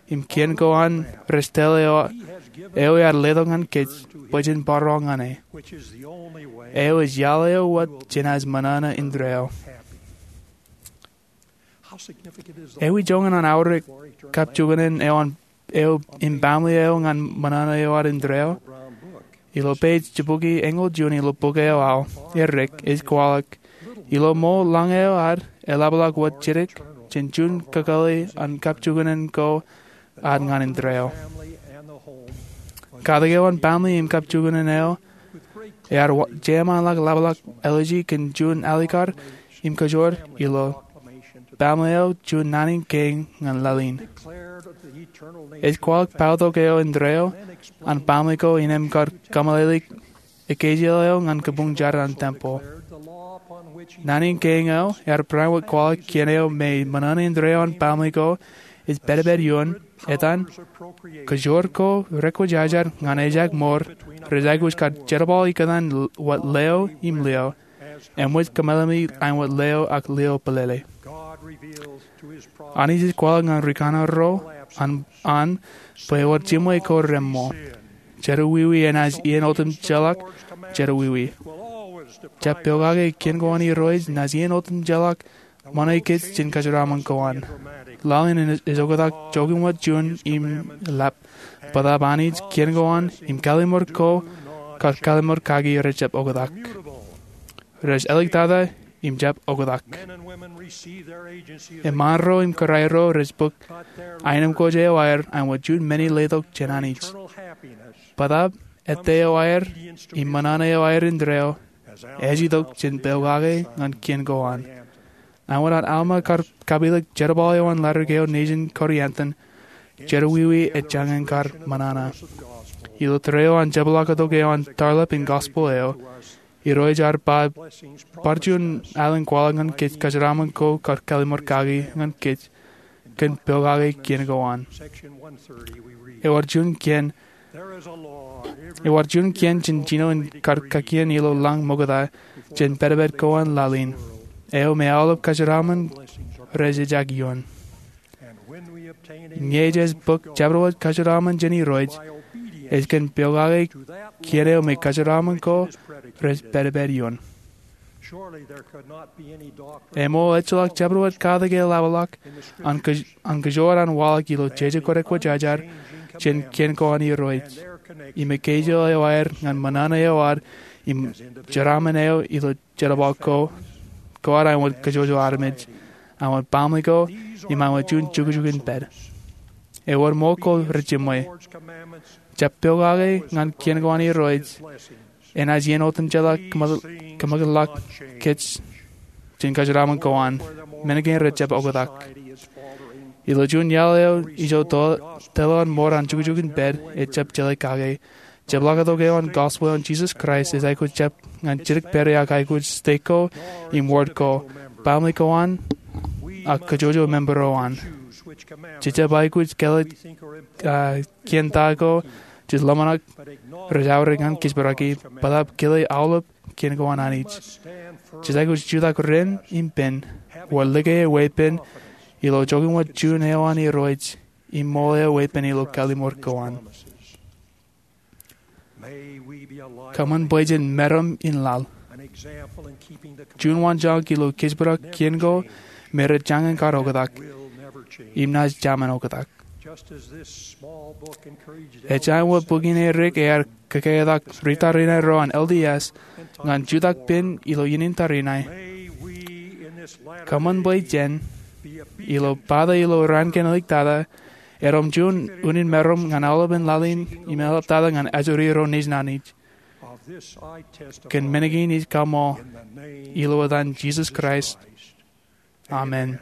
im kien ko an rej tōl eo, eo ear letok ñan kōj bwe jen bar ro ñan e. Eo ej iaḷ eo wōt jenaaj ṃōṇōṇō indeeo. Ewi joñan an aorōk kapjuknen eo an, eo im baaṃle eo ñan ṃōṇōṇō eo ad indeeo? Ilo page jibukwi eñoul juon ilo bok eo aō, Erik ej kwaḷọk, ilo ṃool lañ eo ad eḷapḷọk wōt jidik jān juon kakōḷḷe an kapjuknen ko ad ñan indeeo. Katak eo an baaṃle im kapjuknen eo ear wa-, jeṃaanḷọk ḷapḷọk āliji kōn juon alikkar im kōjwōr ilo baaṃle eo juon naan in kein ñan laḷ in. Ej kwaḷọk paotok eo indeeo an baaṃle ko innem kar kōmeḷeḷeik ekkejel eo ñan kabuñ jar an tempeḷ. Naan in kein eo ear bareinwōt kwaḷọk kien eo me ṃōṇōṇō indeeo an baaṃle ko ej pād pād ioon, etan, kōjwōr ko rekwōjarjar ñan ejak mour rej aikuj kar jerbal ikōtaan l-, wōt leo im lio, eṃōj kōmeḷeḷe āinwōt leo ak lio bōlele. Anij ej kwaḷọk ñan rikaṇe ro an, an bwe ewōr jiṃwe ko reṃṃool. Jerọwiwi enaaj iien otemjeḷọk jerọwiwi. Jab pokake kien ko an Irooj naaj iien otemjeḷọk ṃōṇe kōj jān kōjeraaṃṃan ko an. Laḷ in ej oktak joñan wōt juon im lab. Bōtaab Anij, kien ko an, im kalimur ko kar kalimur kaki rejjab oktak. Rej āliktata im jab oktak. Eṃṃaan ro im kōrā ro rej bōk aenōṃṃan ko jān aer āinwōt juon men in letok jān Anij. Bōtaab ettā eo aer im ṃōṇōṇō eo aer indeeo ej itok jān pokake ñan kien ko an. Āinwōt an Alma kar kapilōk jerbal eo an ledik eo nejin Korianton, jerọwiwi ej jañin kar ṃōṇōṇō. Ilo tōre eo an jepḷaaktok eo an tarḷap in gospel eo, Irooj ear ba bar juon alen kwaḷọk ñan kōj kōjeraaṃṃan ko kar kalimur kaki ñan kōj kōn pokake kien ko an. Ewōr juon kien, ewōr juon kien jān jino in kar kakien ilo lañ ṃokta jān pād pād ko an laḷ in, eo me aolep kōjeraaṃṃan rej ejak ioon. Ñe jej bōk jabdewōt kōjeraaṃṃan jān Irooj, ej kōn pokake kien eo me kōjeraaṃṃan ko rej pād pād ioon. Eṃool ejjeḷọk jabdewōt katak eḷapḷọk an kōj-, an kōjwōj an waḷọk ilo jeje ko rekwōjarjar jān kien ko an Irooj im ekkejel eo aer ñan ṃōṇōṇō eo ad im jeraaṃṃan eo ilo jerbal ko, ko ad āinwōt kōjwōj armej, āinwōt baaṃle ko, im āinwōt juon jukjuk in pād. Ewōr ṃool ko rejiṃwe. Jab pokake ñan kien ko an Irooj enaaj iien otemjeḷọk kōṃakūt-, kōṃakūtḷọk kōj jān kōjeraaṃṃan ko an. Men kein rejjab oktak. Ilo juon iaḷ eo ijo to-, tōl eo an mour an jukjuk in pād ejjab jeḷā kake, jepḷaaktok eo an gospel eo an Jisōs Kraist ej aikuj jab ñan jidik pād ak aikuj stek ko im wōd ko, baaṃle ko an, ak kōjwōj member eo an. Jejjab aikuj kile, ah, kien ta ko jej ḷōmṇak rej aorōk ñan kōjparok, bōtaab kile aolep kien ko an Anij. Jej aikuj jutak ren im pen, wōt like e weeppān ilo joñan wōt juon eo an Irooj, im ṃool e weeppān ilo kalimur ko an. Kōṃṃan bwe jen meram in laḷ. Juon waanjoñak ilo kōjparok kien ko me rej jañin kar oktak im naaj jaṃōn oktak. Ej jab wōt bok in edik ear kōketak ri tariṇae ro an L D S ñan jutak pen ilo iien in tariṇae. Kōṃṃan bwe jen, ilo pata ilo raan kein āliktata, erom juon unin meram ñan aolepen laḷ in im eḷaptata ñan ajri ro nejin Anij. Kōn men kein ij kaṃṃool ilo etan Jisōs Kraist. Amen.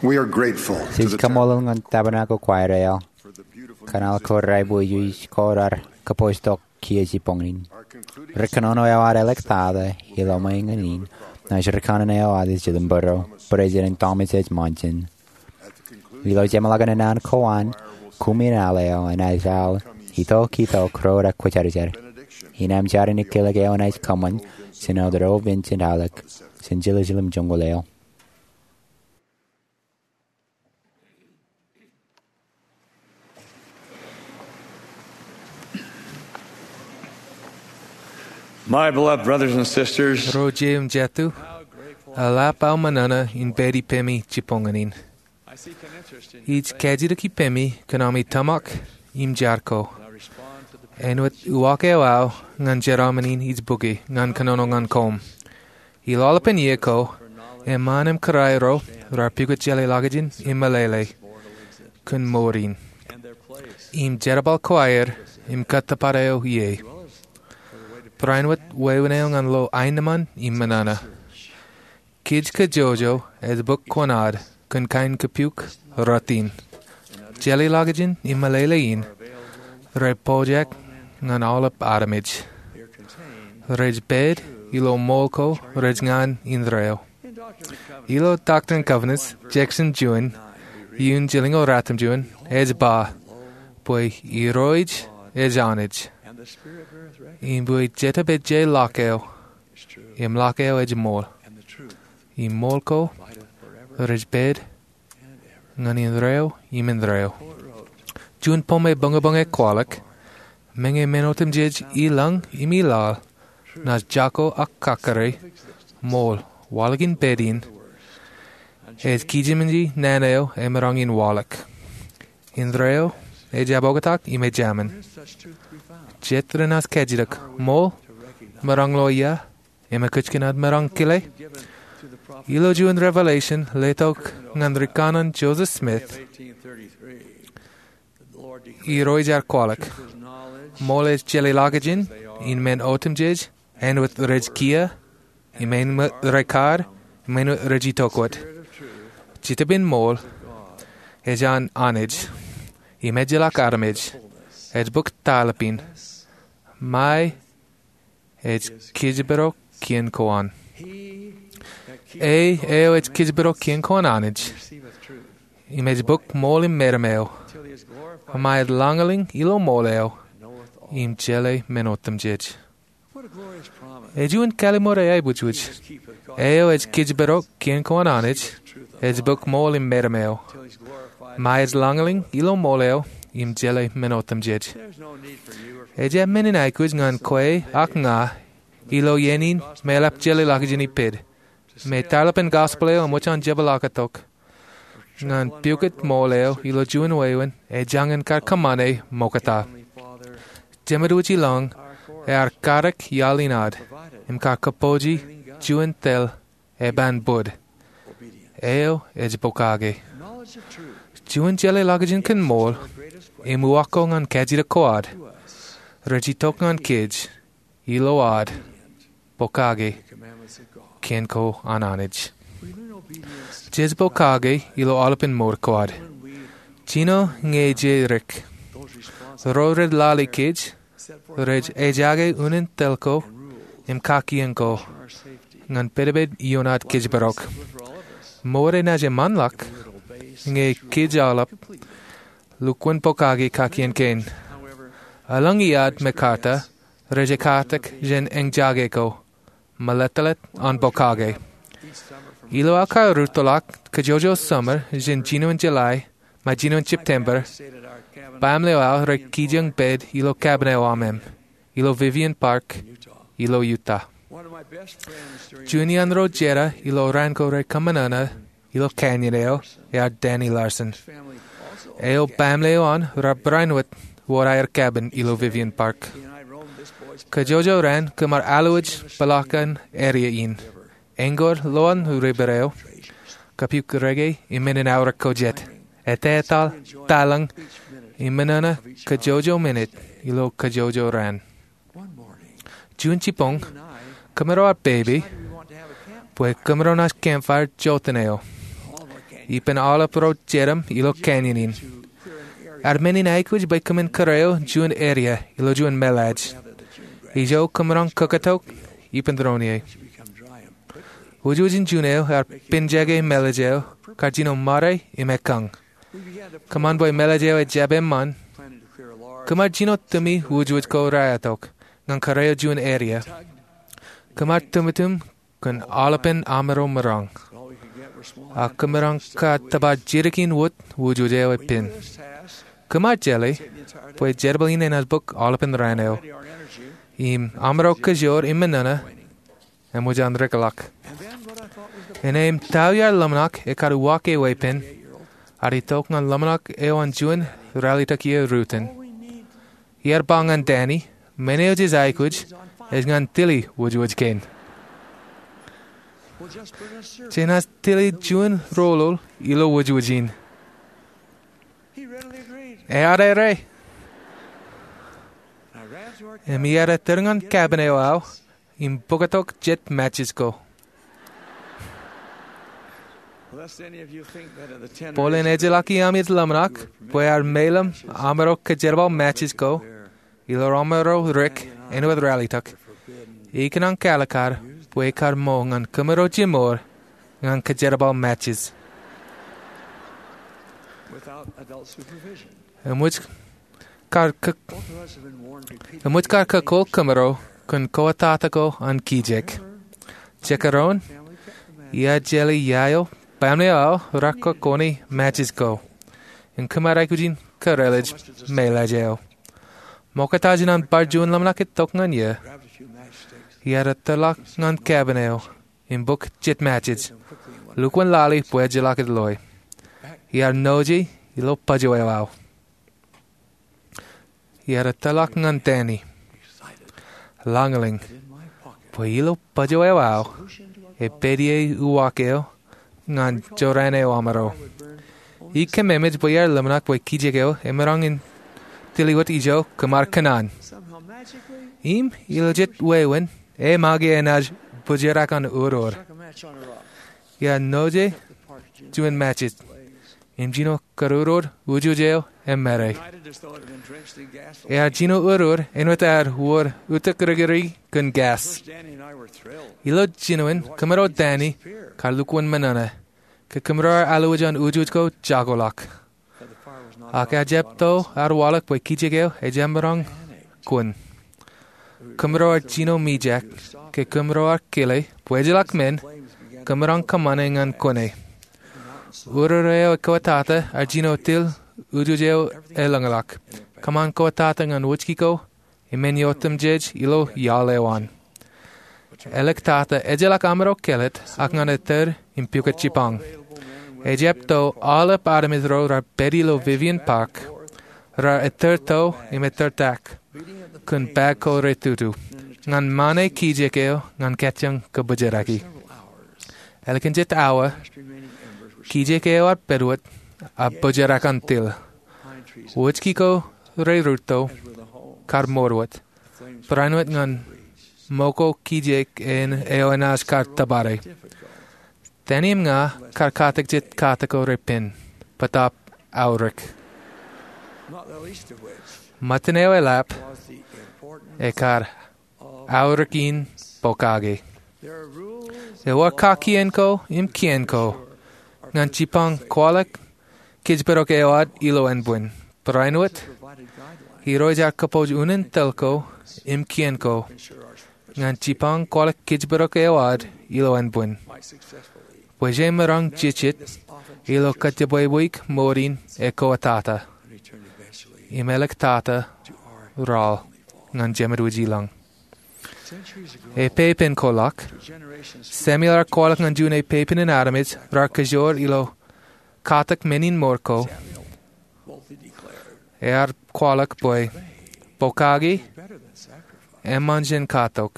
We are grateful to Jej the kaṃṃoolol ñan Tabernacle Choir eo kōn aolep ko raar aikuj ko raar kōpooj tok kiiō jibboñin. Ri kōnono eo ad ḷōmṇak ilo ṃweo in, naaj ri kōnono eo ad ej Jillian Bōro, President Thomas S. Monson. Ilo jeṃḷọkin an ko an, koṃṃool eo enaaj al itok itok ro raar kwōjarjar. Innām jar in ikōḷọk eo enaaj kōṃṃan jān Elder O. Vincent Halleck, jān Jerusalem joñoul eo. My beloved brothers and sisters, Ro jeiū im jatū, eḷap aō ṃōṇōṇō in pād ippemi jibboñin. Ij kajjitōk ippemi kōn ami tōmak im jar ko. Āinwōt uwaak eo aō ñan jeraaṃṃan in ij bukwi ñan kōnono ñan koṃ. Ilo aolepān iiō ko, eṃṃaan im kōrā ro raar pukot jeḷā ḷọkjeṇ im meḷeḷe kōn mour in im jerbal ko aer im kōttōpar eo ie. Barāinwōt wāween eo ñan lo aenōṃṃan im ṃōṇōṇō. Kōj kajjojo ej bōk koṇaad kōn kain kapiuk rot in. Jeḷā ḷọkjeṇ im meḷeḷe in rej pojak ñan aolep armej. Rej pād ilo ṃool ko rej ñan indeeo. Ilo Doctrine and Covenants, Jackson juon, iuun jilñoul ratimjuon, ej ba bwe Irooj ej Anij, im bwe Jetōb ej jeḷā ḷọk eo, im ḷọk eo ej ṃool, im ṃool ko rej pād ñan indeeo im indeeo. Juon pomeañ bōñbōñ ej kwaḷọk, meñe men otemjej ilañ im ilaḷ, naaj jako ak kakkure, ṃool, waḷọk in pād in, ej kijeṃōj naan eo emaroñ in waḷọk. Indeeo ej abōktak im ejāmin. Jet renaaj kajjitōk, ṃool, maroñ ḷọk ia, im ekōjkan ad maroñ kile. Ilo juon Revelation letok ñan ri kanaan Joseph Smith, Irooj ear kwaḷọk. Ṃool ej jeḷā ḷọkjeṇ in men otemjej, āinwōt rej kiiō, im āinwōt rej kar, im āinwōt rej itok wōt. Jetōb in ṃool ej an Anij, im ejjeḷọk armej, ej bōk taḷapin. Ṃae ej kōjparok kien ko an. E, eo ej kōjparok kien ko an Anij, im ej bōk ṃool im meram eo, ṃae ej lañlōñ ilo ṃool eo, im jeḷā men otemjej. Ej juon kallim̧ur eaibwijwij. E, eo ej kōjparok kien ko an Anij, ej bōk ṃool im meram eo, ṃae ej lañlōñ ilo ṃool eo, im jeḷā men otemjej. Ej jab men in aikuj ñan kwe ak ña ilo iien in me eḷap jeḷā ḷọkjeṇ ipād, me taḷapin gospel eo eṃōj an jepḷaaktok, ñan pukot ṃool eo ilo juon wāween ej jañin kar kōṃṃane ṃokta. Jemedwōj ilañ ear karōk iaḷ in ad im kar kōpooje juon tōl eban bōd. Eo ej pokake. Juon jeḷā ḷọkjeṇ kōn ṃool im uwaak ko ñan kajjitōk ko ad, rej itok ñan kōj ilo ad pokake kien ko an Anij. Jej pokake ilo aolepān mour ko ad. Jino ñe jej rik. Ro rej lale kōj rej ejaake unin tōl ko im kakien ko ñan pedped ioon ad kōjparok. Mour enaaj eṃṃanḷọk ñe kōj aolep lukkuun pokake kakien kein. Eḷaññe iiō ad mekarta rej ekkatak jān eñjaake ko, melettelet an pokake. Ilo aō karrūttoḷọk kajjojo summer jān jinoin July ṃae jinoin September, baaṃle eo aō rej kijeñ pād ilo cabin eo aṃ im ilo Vivian Park ilo Utah. Juon iaan ro jera ilo raan ko rej kōṃṃan ṇa ilo canyon eo ear Danny Larsen. Eo baaṃle eo an raar barāinwōt wōr aer cabin ilo Vivian Park. Kajjojo raan kōmar alwōj peḷaakin an area in, eñoor lowaan river eo, kapiuk reke im men in aorōk ko jet, ettataḷ, taḷañ, im ṃōṇōṇō kajjojo minit ilo kajjojo raan. Juon jibboñ, kōmro ar pepe bwe kōmro naaj campfire jota eo. ippān aolep ro jedem ilo canyon in. Ear men in aikuj bwe kōmin kōrā eo juon area ilo juon meḷaaj. Ijo kōṃṃan kōkōtok ippān doon ie. Wūjwūjin juon eo ear pinjake meḷeḷe eo kar jino ṃare im ekkañ. Kōṃṃan bwe meḷeḷe eo ejjab eṃṃan, kōṃṃan jino tumi wūjwūj ko raetok ñan kōrā eo juon area. Kōṃṃan tūmtūm kōn aolepān amro maroñ. A kōmaroñ kar tōpar jidik in wōt wūjwūj eo epād. Kōṃṃan jeḷā bwe jerbal in enaaj bōk aolepān raan eo. Im amro kōjoor im ṃōṇōṇō eṃōj an rōkḷọk. Innām ta eo iar ḷōmṇak ekar uwaak eō epād, ear itok ñan ḷōmṇak eo an juon ralitōk iiō rutin. Iar ba ñan Danny, men eo jej aikuj ej ñan tili wūjwūj kein. Jenaaj tili juon roḷoḷ ilo wūjwūj in. Ear ere. Im iar ettōr ñan cabin eo aō im bōktok jet matches ko. Bōlen ejjeḷọk iaami ej ḷōmṇak bwe ear meḷeḷe amro kōjerbal matches ko ilo amro rik āinwōt ralitōk, ikōṇaan kalikkar bwe ekar ṃool ñan kōmro jimor ñan kōjerbal matches. Eṃōj kar kōkōl kōmro kōn kōttata ko an kijek. Jekdọọn, iar jeḷā ia eo baaṃle eo aō raar kọkkọọne matches ko im kōmro aikuj in kōrā ḷọk meḷeḷe eo. Ṃokta jān an bar juon ḷōmṇak itok ñan eō, iar ettōrḷọk ñan cabin eo im bōk jet matches, lukkuun lale bwe ejjeḷọk ej loe. Iar noje ilo bōjjāwōt eo aō. Iar ettōrḷọk ñan Danny, lañlōñ bwe ilo bōjjāwōt eo aō epād ie uwaak eo ñan jorrāān eo amro. Ikōmemeej bwe iar ḷōmṇak bwe kijek eo emaroñ in tili wōt ijo kōmro kōṇaan. Im ilo jet wāween, eṃōj enaaj bōjrak an urur. Iar noje juon matches im jino kōrurur wūjwūj eo emāre. Ear jino urur āinwōt ear wōr utak rikūri kōn gas. Ilo jinoin kōmro Danny kar lukkuun ṃōṇōṇō ke kōmro ar alwōj an wūjwūj ko jakoḷọk. Ak ejjab to ar waḷọk bwe kijek eo ejjab maroñ kwōn. Kōmro ar jino mijak ke kōmro ar kile bwe ejjeḷọk men kōmaroñ kōṃṃane ñan kwōne. Urur eo ekōttata ar jino til wūjwūj eo elōñḷọk. Kōṃṃan kōttata ñan wōjki ko im men eo otemjej ilo iaḷ eo an. Āliktata ejjeḷọk amro kelōt ak ñan ettōr im pukot jipañ. Ejjab to aolep armej ro raar pād ilo Vivian Park, raar ettōr to im ettōr tak kōn bag ko retutu ñan ṃane kijek eo ñan kajjioñ kōbōjraki. Ālikin jet awa, kijek eo ar pād wōt a bōjrak an til. Wōjki ko rerūtto kar mour wōt, barāinwōt ñan ṃōko kijek eo enaaj kar tōpare. Danny im ña kar katak jet katak ko repen, bōtaab aorōk. Ṃōttan eo eḷap ekar aorōk in pokake. Ewōr kakkien ko im kien ko ñan jipañ kwaḷọk kōjparok eo ad ilo ānbwin. Barāinwōt, Irooj ear kōpooj unin tōl ko im kien ko ñan jipañ kwaḷọk kōjparok eo ad ilo ānbwin bwe jemaroñ jijet ilo kōjjepwebweik mour in ekōttata im āliktata raḷ ñan Jemedwōj ilañ. Epeipen kwaḷọk, Samuel ear kwaḷọk ñan juon epeipen in armej raar kōjoor ilo katak men in mour ko. Ear kwaḷọk bwe pokake eṃṃan jān katok,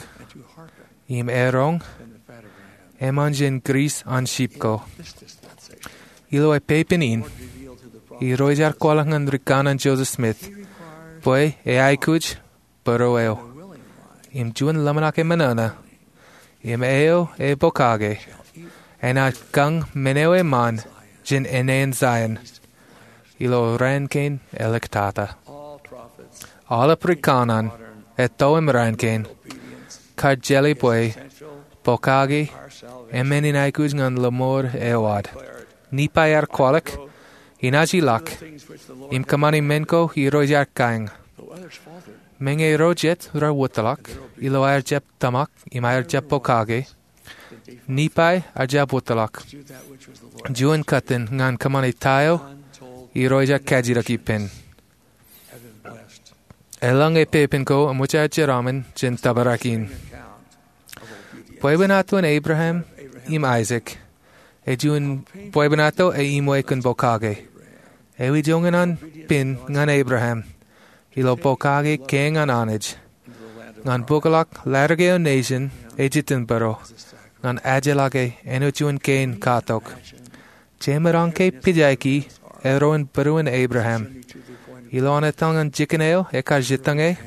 im eroñ eṃṃan jān grease an sheep ko. Ilo epeipen in, Irooj ear kwaḷọk ñan rikanaan Joseph Smith bwe eaikuj būruō eo im juon ḷōmṇak eṃōṇōṇō im eo epokaake enaaj kañ men eo eṃṃan jān āne in Zion. Ilo raan kein eḷak tata. Aolep rikauṇaṇ, etto im raan kein, kar jeḷā bwe pokake eṃṃan in aikuj ñan lọmọọr eo ad. Nifai ear kwaḷọk, inaaj ilọk im kōṃṃani men ko Irooj ear kañ. Meñe ro jet rar wōtlọk ilo aer jab tōmak im aer jab pokake, Nifai ear jab wōtlọk juon kōttan ñan kōṃṃani ta eo Irooj ear kajjitōk ippān. Eḷaññe pepen ko eṃōj aō jeraṃṃan jān tōprak in. Bwebwenato in Abraham im Aisak ej juon bwebwenato eṃṃan kōn pokake. Eo ej joñan an pen ñan Abraham ilo pokake kein ñan Anij, ñan bōkḷọk ladik eo nejin ej itinbōro, ñan ejjeḷọke āinwōt juon kein katok. Jemaroñ ke pijaiki erro in būruon Abraham ilo an etal ñan jikin eo ekar jitōñe.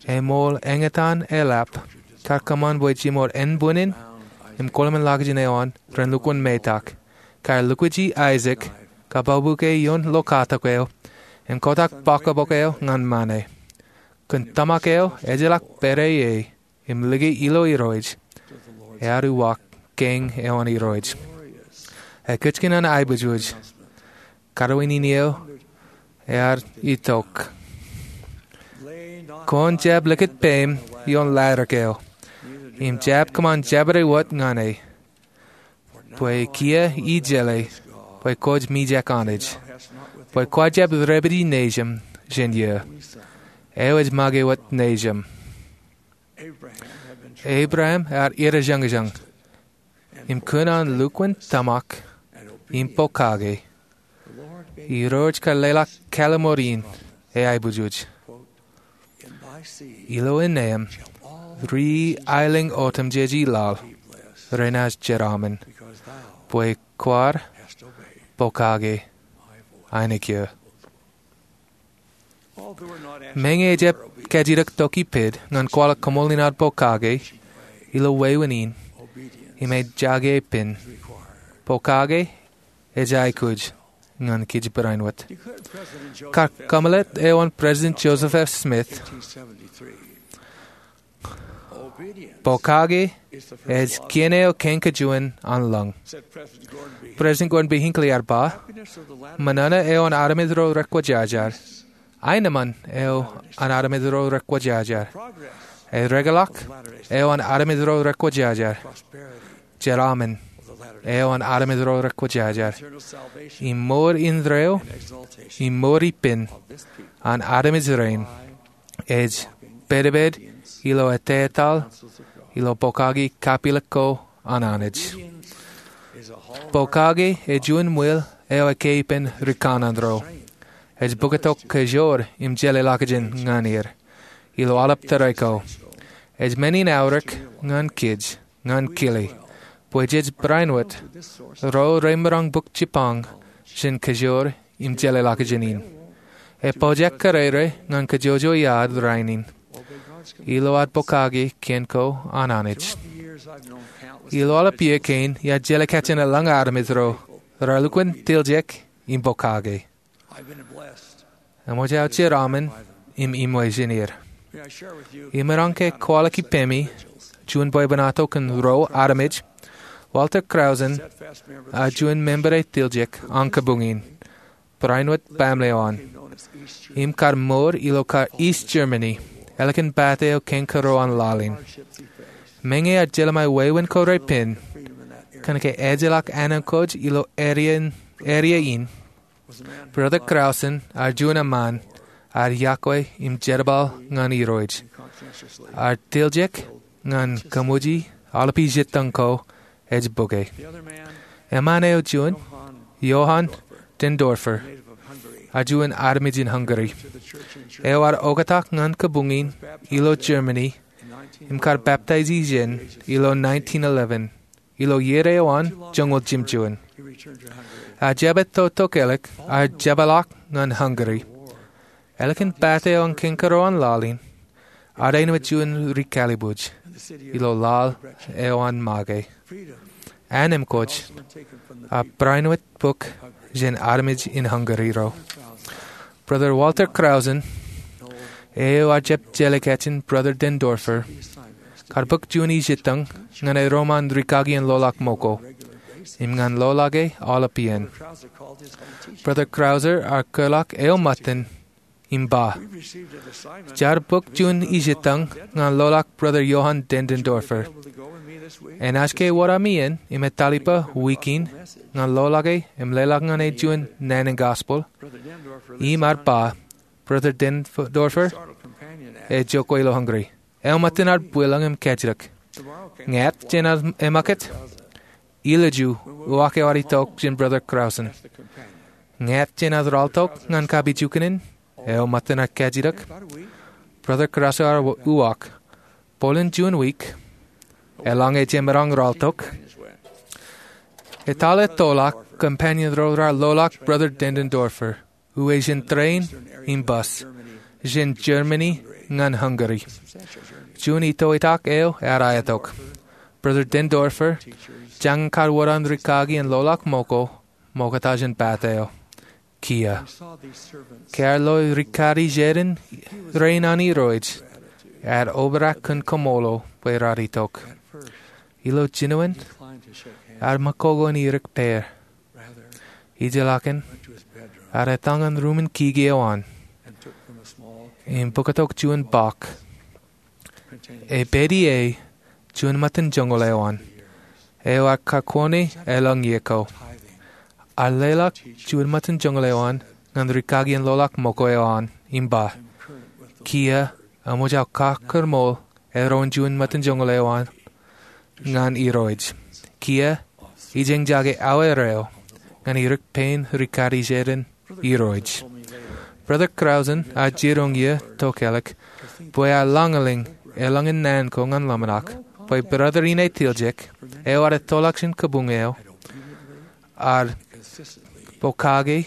Eṃool eñtaan eḷap kar kōṃṃan bwe jimor ānbwinnin im kōḷmānḷọkjeṇ eo an ren lukkuun metak. Kar lukkuun Aisak kabōkbōke ioon lo katok eo im kotak bōkbōk eo ñan ṃane. Kōn tōmak eo ejjeḷọk pād ie im liki ilo Irooj, ear uwaak kein eo an Irooj. Ekkejkij an aiboojoj, kōrā in eo ear itok. Kwōn jab likūt peiṃ ioon ladik eo im jab kōṃṃan jabdewōt ñan e. Bwe kiiō ij jeḷā bwe kwōj mijak Anij, bwe kwōj jab dāpiji nejūṃ jān iiō. Eo ej make wōt nejūṃ. Abraham ear idajoñjañ im kōn an lukkuun tōmak im pokake, Irooj kar leḷọk kālōmor in e aiboojoj. Ilo innem ri aelōñ otemjej i laḷ renaaj jeraṃṃan, bwe kwaar pokake ainikien. Meñe ejjab kajjitōk tok ippād ñan kwaḷọk koṃṃool in ad pokake ilo wāween in im ejjake pen, pokake ej aikuj ñan kōj barāinwōt. Kar kōmeḷeḷe eo an President Joseph F. Smith, pokake ej kien eo kein kajuon an lōñ. President Gordon B. Hinckley ear ba, ṃōṇōṇō eo an armej ro rekwōjarjar, aenōṃṃan eo an armej ro rekwōjarjar, ereḷọk eo an armej ro rekwōjarjar, jeraaṃṃan eo an armej ro rekwōjarjar, im mour indeeo im mour ippān an armej rein ej pedped ilo ettetaḷ ilo pokake kapilōk ko an Anij. Pokake ej juon ṃwil eo ekkā ippān rikauṇaṇ ro. Ej bōktok kōjoor im jeḷāḷọkjeṇ ñan er ilo aolep tōre ko. Ej men in aorōk ñan kōj ñan kile bwe jej barāinwōt ro remaroñ bōk jipañ jān kōjoor im jeḷāḷọkjeṇ in. Epojak kōrere ñan kōjojoi ad rainin ilo ad pokake kien ko an Anij. Ilo aolep iiō kein iar jeḷā kajin eḷaññe armej ro raar lukkuun tiljek im pokake. Eṃōj aō jeraaṃṃan im iṃwe jān er. Imaroñ ke kwaḷọk ippemi juon bwebwenato kōn ruo armej. Walter Krausen ear juon member eo tiljek an kabuñ in barāinwōt baaṃle eo an im kar mour ilo kar East Germany ālikin pate eo kein kōrā an laḷ in. Meñe ear jelṃae wāween ko repen kōn ke ejjeḷọk ānōṃ kōj ilo eria in, Brother Krausen ear juon eṃṃaan ear iọkwe im jerbal ñan Irooj. Ear tiljek ñan kōṃōji aolep ijjitōñ ko ej bōke. Eṃṃaan eo juon, Johann Denndorfer, ear juon armej in Hungary eo ear oktak ñan kabuñ in ilo Germany im kar peptaiji jān ilo nineteen eleven. Ilo iiō eo an joñoul jimjuon, ear jab etto tokālik, ear jepḷaak ñan Hungary. Ālikin pate eo an kein kōrā an laḷ in, ear āinwōt juon ri-kallibuj ilo laḷ eo an make. An emkwōj, a barāinwōt bok jān armej in Hungary ro. Brother Walter Krausen, eo ear jab jelekājen Brother Denndorfer, kar bōk juon ijettañ ñan erom an rikaki in loḷọk moko im ñan loḷọke aolep iien. Brother Krausen ear kōḷọk eo ṃōttan im ba, Jaar bōk juon ijettañ ñan loḷọk Brother Johann Denndorfer. Enaaj ke wōr ami iien im etalipa wiik in ñan loḷọke im leḷọk ñan e juon naan in gospel? Im ear ba, Brother Denndorfer ej jokwe ilo Hungary. Eo ṃōttan ear bwilōñ im kajjitōk. Ñāāt jān aō ṃakūt, ilju uwaak eo ear itok jān Brother Krausen. Ñāāt jān aō ralitōk ñan kapijuknen, eo ṃōttan ear kajjitōk. Brother Krausen ear uwaak, Bōlen juon wiik, eḷaññe jemaroñ ralitōk. Etale ettoḷọk companion ro raar loḷọk Brother Denndorfer, uwe jān train im bus, jān Germany ñan Hungary. Juon itoitak eo ear aetok. Brother Denndorfer jañin kar wōr an rikaki in loḷọk moko ṃokta jān pata eo. Kiiō, ke ear lo rikaki jeran rein an Irooj, ear obrak kōn kaṃṃoolol bwe raar itok. Ilo jinoin, ear ṃakoko in irik pear. Ijellọkin, ear etal ñan ruumen kiki eo an im bōktok juon bọọk. Epād ie juon ṃōttan joñoul eo an, eo ear kakwōne elōñ iiō ko. Ear leḷọk juon ṃōttan joñoul eo an ñan rikaki in loḷọk moko eo an im ba, Kiiō, eṃōj aō kakōrmool eroñ juon ṃōttan joñoul eo an ñan Irooj. Kiiō, ijeñjake aweer eo ñan irik pein rikaki jeran Irooj. Brother Krausen ear jiroñ iiō tokālik bwe ear lañlōñ elōñ in naan ko ñan ḷōmṇak bwe brother in etiljek, eo ear ettoḷọk jān kabuñ eo, ear pokake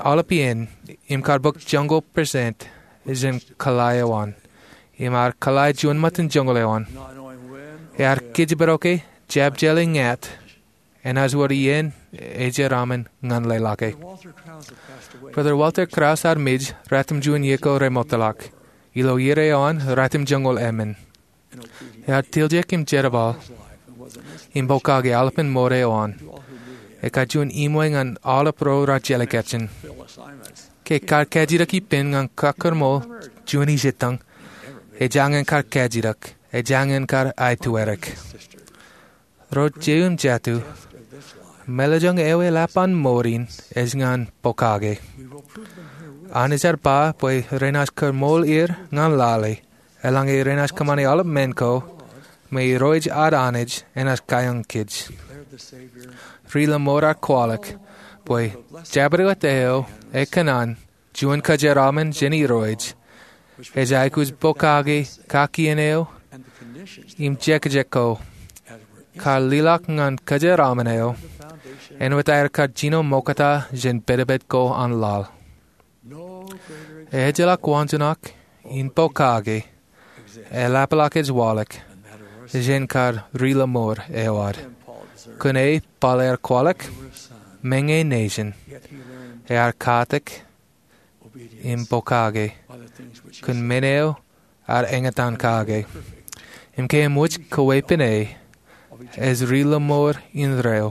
aolep iien im kar bōk joñoul percent jān kōḷḷā eo an. Im ear kōḷḷā juon ṃōttan joñoul eo an. Ear kōjparok e jab jeḷā ñāāt enaaj wōr iien ejeraṃṃan ñan leḷọke. Brother Walter Krause ear mej ratimjuon iiō ko remootḷọk. Ilo iiō eo an ratimjuon joñoul emān. Ear tiljek im jerbal im pokake aolepān mour eo an. Ekar juon iṃwe ñan aolep ro raar jelekājen. Ke kar kajjitōk ippān ñan kakōrmool juon ijettañ, ejañin kar kajjitōk, ejañin kar aetwerik. Ro jeiū im jatū, mālōtlōt eo eḷap an mour in ej ñan pokake. Anij ear ba bwe renaaj kōrmool er ñan lale, eḷaññe renaaj kōṃṃane aolep men ko, me Irooj ad Anij enaaj kayañ kōj. Ri-Lōṃour ear kwaḷọk bwe jabdewōt eo ekōṇaan juon kōjeraṃṃan jān Irooj ej aikuj pokake kakien eo im jekjek ko kar liḷọk ñan kōjeraṃṃan eo āinwōt aer kar jino ṃokta jān pedped ko an laḷ. Ejjeḷọk waanjoñak in pokake eḷapḷọk ej waḷọk jān kar Ri-Lōṃour eo ad. Kōn e Paul ear kwaḷọk, meñe nejin, ear katak im pokake kōn men eo ear eñtaan kake. Im ke eṃōj kwe pen e, ej Ri-Lōṃour indeeo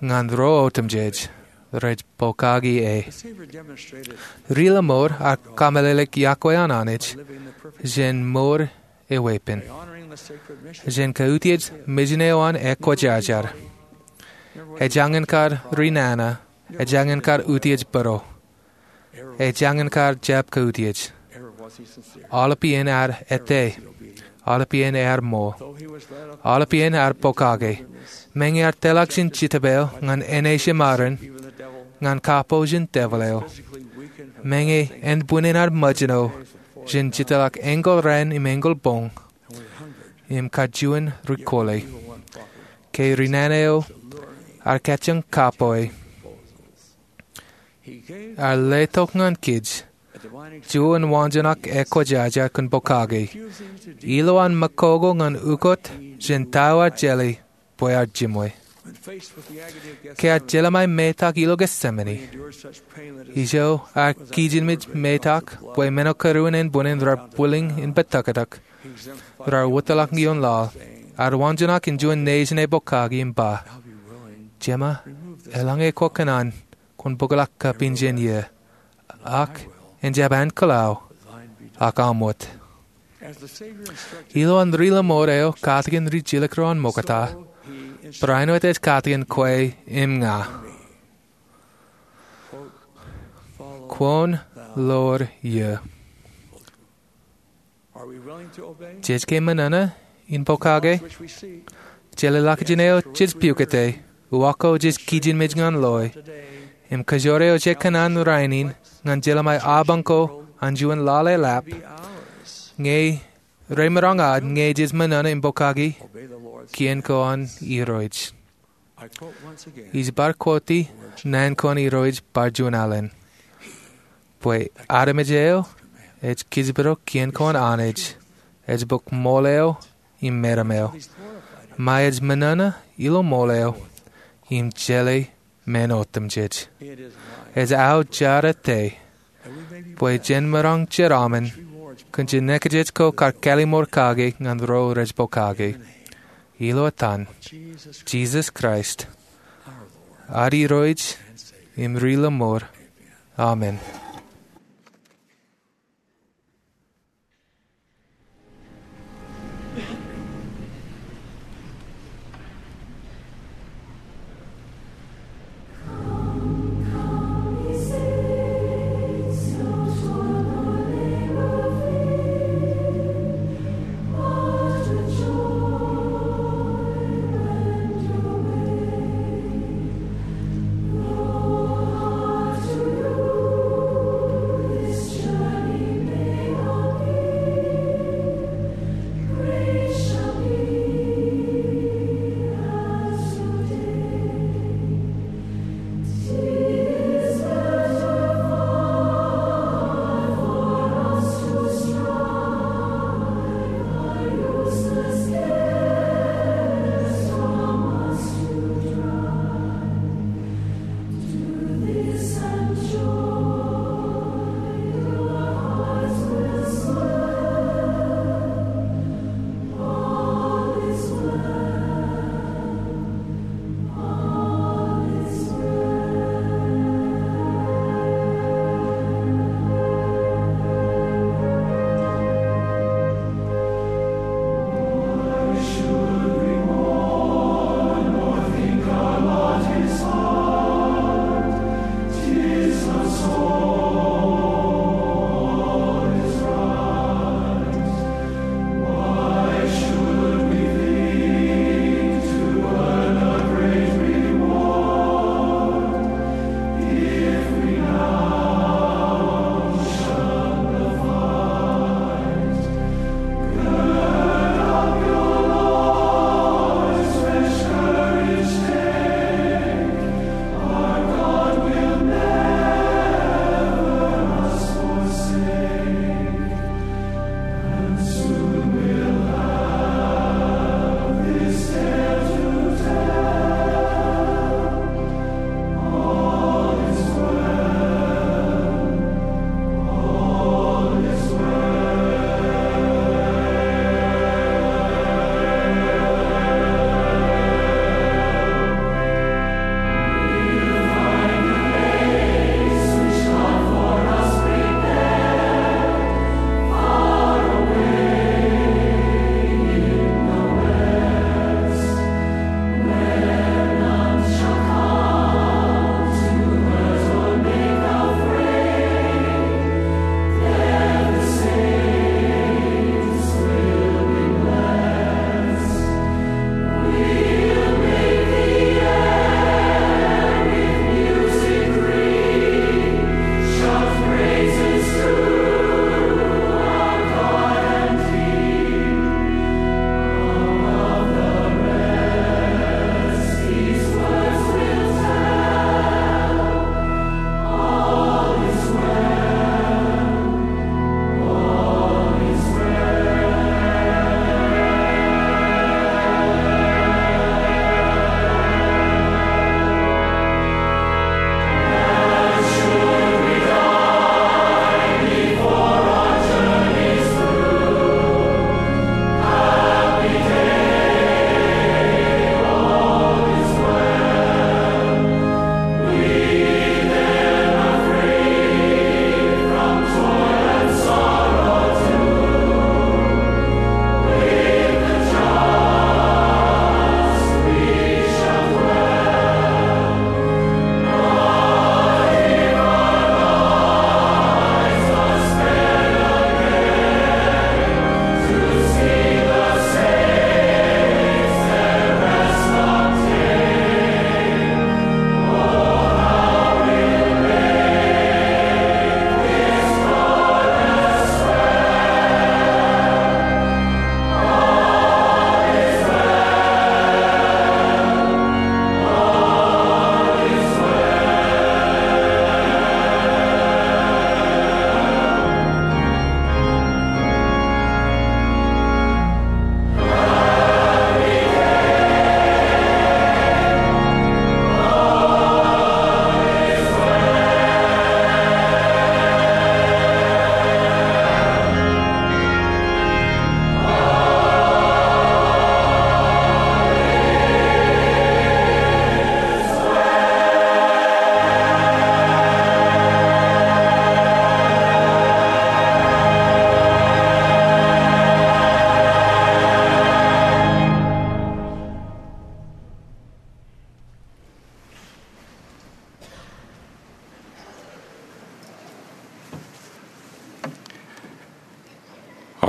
ñan ro otemjej rej pokake e. Ri-Lōṃour ear kōmeḷeḷeik yokwe an Anij jān mour eweeppān. Jān kautiej mejān eo an ekwōjarjar, ejañin kar ri-nana, ejañin kar utiej būruō, ejañin kar jab kautiej. Aolep iien ear ettā. Aolep iien ear ṃool. Aolep iien ear pokake. Meñe ear tōlḷọk jān jetōb eo ñan āne eo ṃōrōn, ñan kapo jān devil eo. Meñe ānbwinnin ear ṃōjṇo jān jitōḷọk eñin raan im eñin boñ im kajuon ri-kole. Ke ri-nana eo ear kajjioñ kapo e, ear letok ñan kōj juon waanjoñak ekwōjarjar kōn pokake, ilo an ṃakoko ñan ukot jān ta eo ear jeḷā bwe ear jiṃwe. Ke ear jelṃae metak ilo Getsemane, ijo ear kijenmej metak bwe men eo kōrā in ānbwinnin raar bwilōñ in bōtōktōk, raar wōtlọk ioon laḷ, ear waanjoñak in juon nejin epokaki im ba, Jema, eḷaññe kwō kōṇaan, kwōn bōkḷọk kab injen iiō, ak en jab ankilau, ak aṃ wōt. Ilo an ri-lọmọọr eo katakin ri-jilkinḷọk ro an ṃokta, barāinwōt ej katakin kwe im ña. Kwōn ḷoor iiō. Jej ke ṃōṇōṇō in pokake? Jeḷāḷọkjeṇ eo jej piukate, uwaak ko jej kijenmej ñan loe, im kōjoor eo jej kōṇaan rainin ñan jelṃae apañ ko an juon laḷ eḷap, ñe remaroñ ad ñe jej ṃōṇōṇō im pokake kien ko an Irooj. Ij bar quote-i naan ko an Irooj bar juon alen, bwe armej eo ej kōjparok kien ko an Anij, ej bōk ṃool eo im meram eo, ṃae ej ṃōṇōṇō ilo ṃool eo im jeḷā men otemjej. Ej aō jar ete bwe jen maroñ jeraaṃṃan kōn jinōkjeej ko kar kallimur kake ñan ro rej pokake. Ilo etan Jisōs Kraist, ad Irooj im ri-lọmọọr. Amen.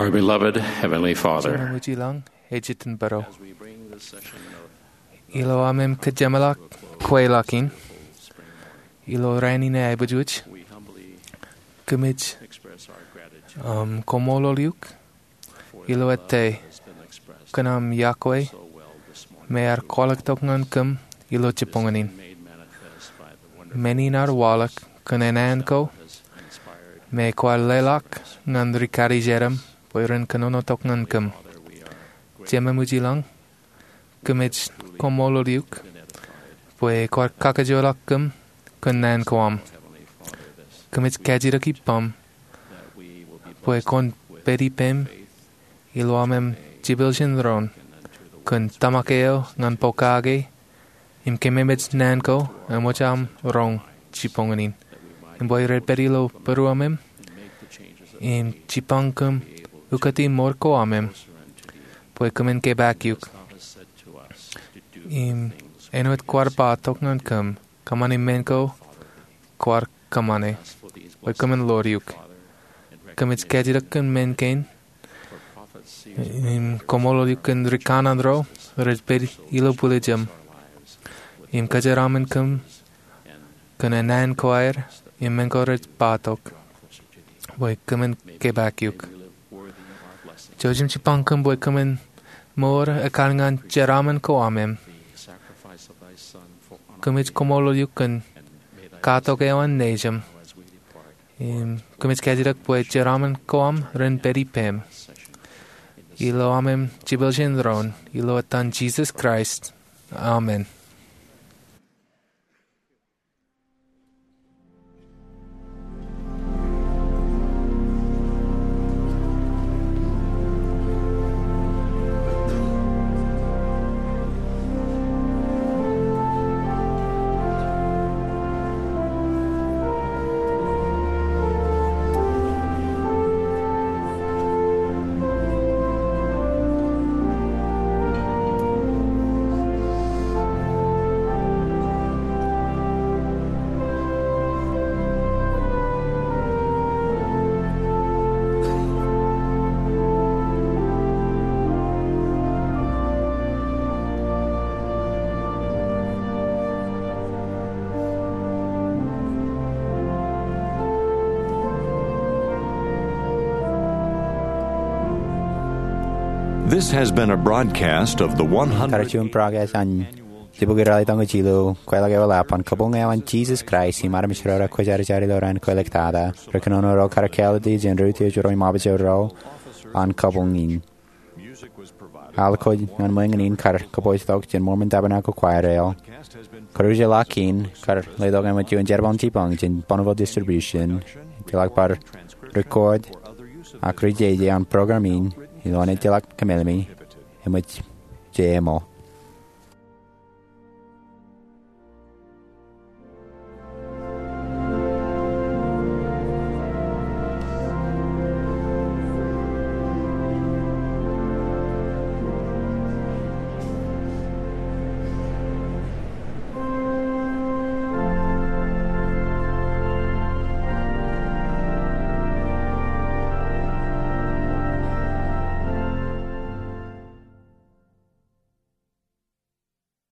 Our beloved Heavenly Father, Jemem eo ilañ, ej itok bōro. Ilo aṃ kōjeṃḷọk kweilọk in ilo rainin eaibujbōj, kōmij, um, koṃṃool eok ilo ettā kōn aṃ iọkwe me ear kwaḷọk tok ñan kōm ilo jibboñōn in. Men in ear waḷọk kōn enāān ko me kwaar leḷọk ñan ri karijerem bwe ren kōnono tok ñan kōm. Jemem eo ilañ, kōmij koṃṃool eok bwe kwaar kakajoorḷọk kōm kōn naan ko aṃ. Kōmij kajjitōk ippaṃ bwe kwōn pād ippām ilo aṃ jepel jān doon kōn tōmak eo ñan pokake im kememej naan ko eṃōj aṃ roñ jibboñōn in, im bwe rej pād ilo būruōmem im jipañ kōm ukōti mour ko aṃ, bwe kōmin kepaak eok. Im āinwōt kwaar ba tok ñan kōm, kōṃṃani men ko kwaar kōṃṃane, bwe kōmin ḷoor eok. Kōmij kajjitōk kōn men kein im koṃṃool eok kōn ri kanaan ro rej pād ilo bwiljam im kōjeraaṃṃan kōm kōn enāān ko aer im men ko rej ba tok, bwe kōmin kepaak eok. Jouj im jipañ kōm bwe kōmin mour ekar ñan jeraaṃṃan ko aṃ. Kōmij koṃṃool eok kōn katok eo an Nejūṃ. Im kōmij kajjitōk bwe jeraaṃṃan ko aṃ ren pād ippām ilo aṃ jepel jān doon, ilo etan Jisōs Kraist. Amen. This has been a broadcast of the one hundred. Kar juon broadcast an Jibboñ ralitōñōj ilo kweilọk eo eḷap an kabuñ eo an Jisōs Kraist im armej ro rekwōjarjar ilo raan kweiliktata, ri kōnono ro kar kāālōt jān ri utiej ro im abuj ro an kabuñ in. Al ko ñan ṃōñā in kar kōpooj tok jān Mormon Tabernacle Choir eo. Kōrujeḷọk in kar letok āinwōt juon jerbal in jipañ jān Bonneville Distribution. Ejjeḷọk bar record ak rijeje an program in ilo an ejjeḷọk kōmālōt me eṃōj jeṃḷọk.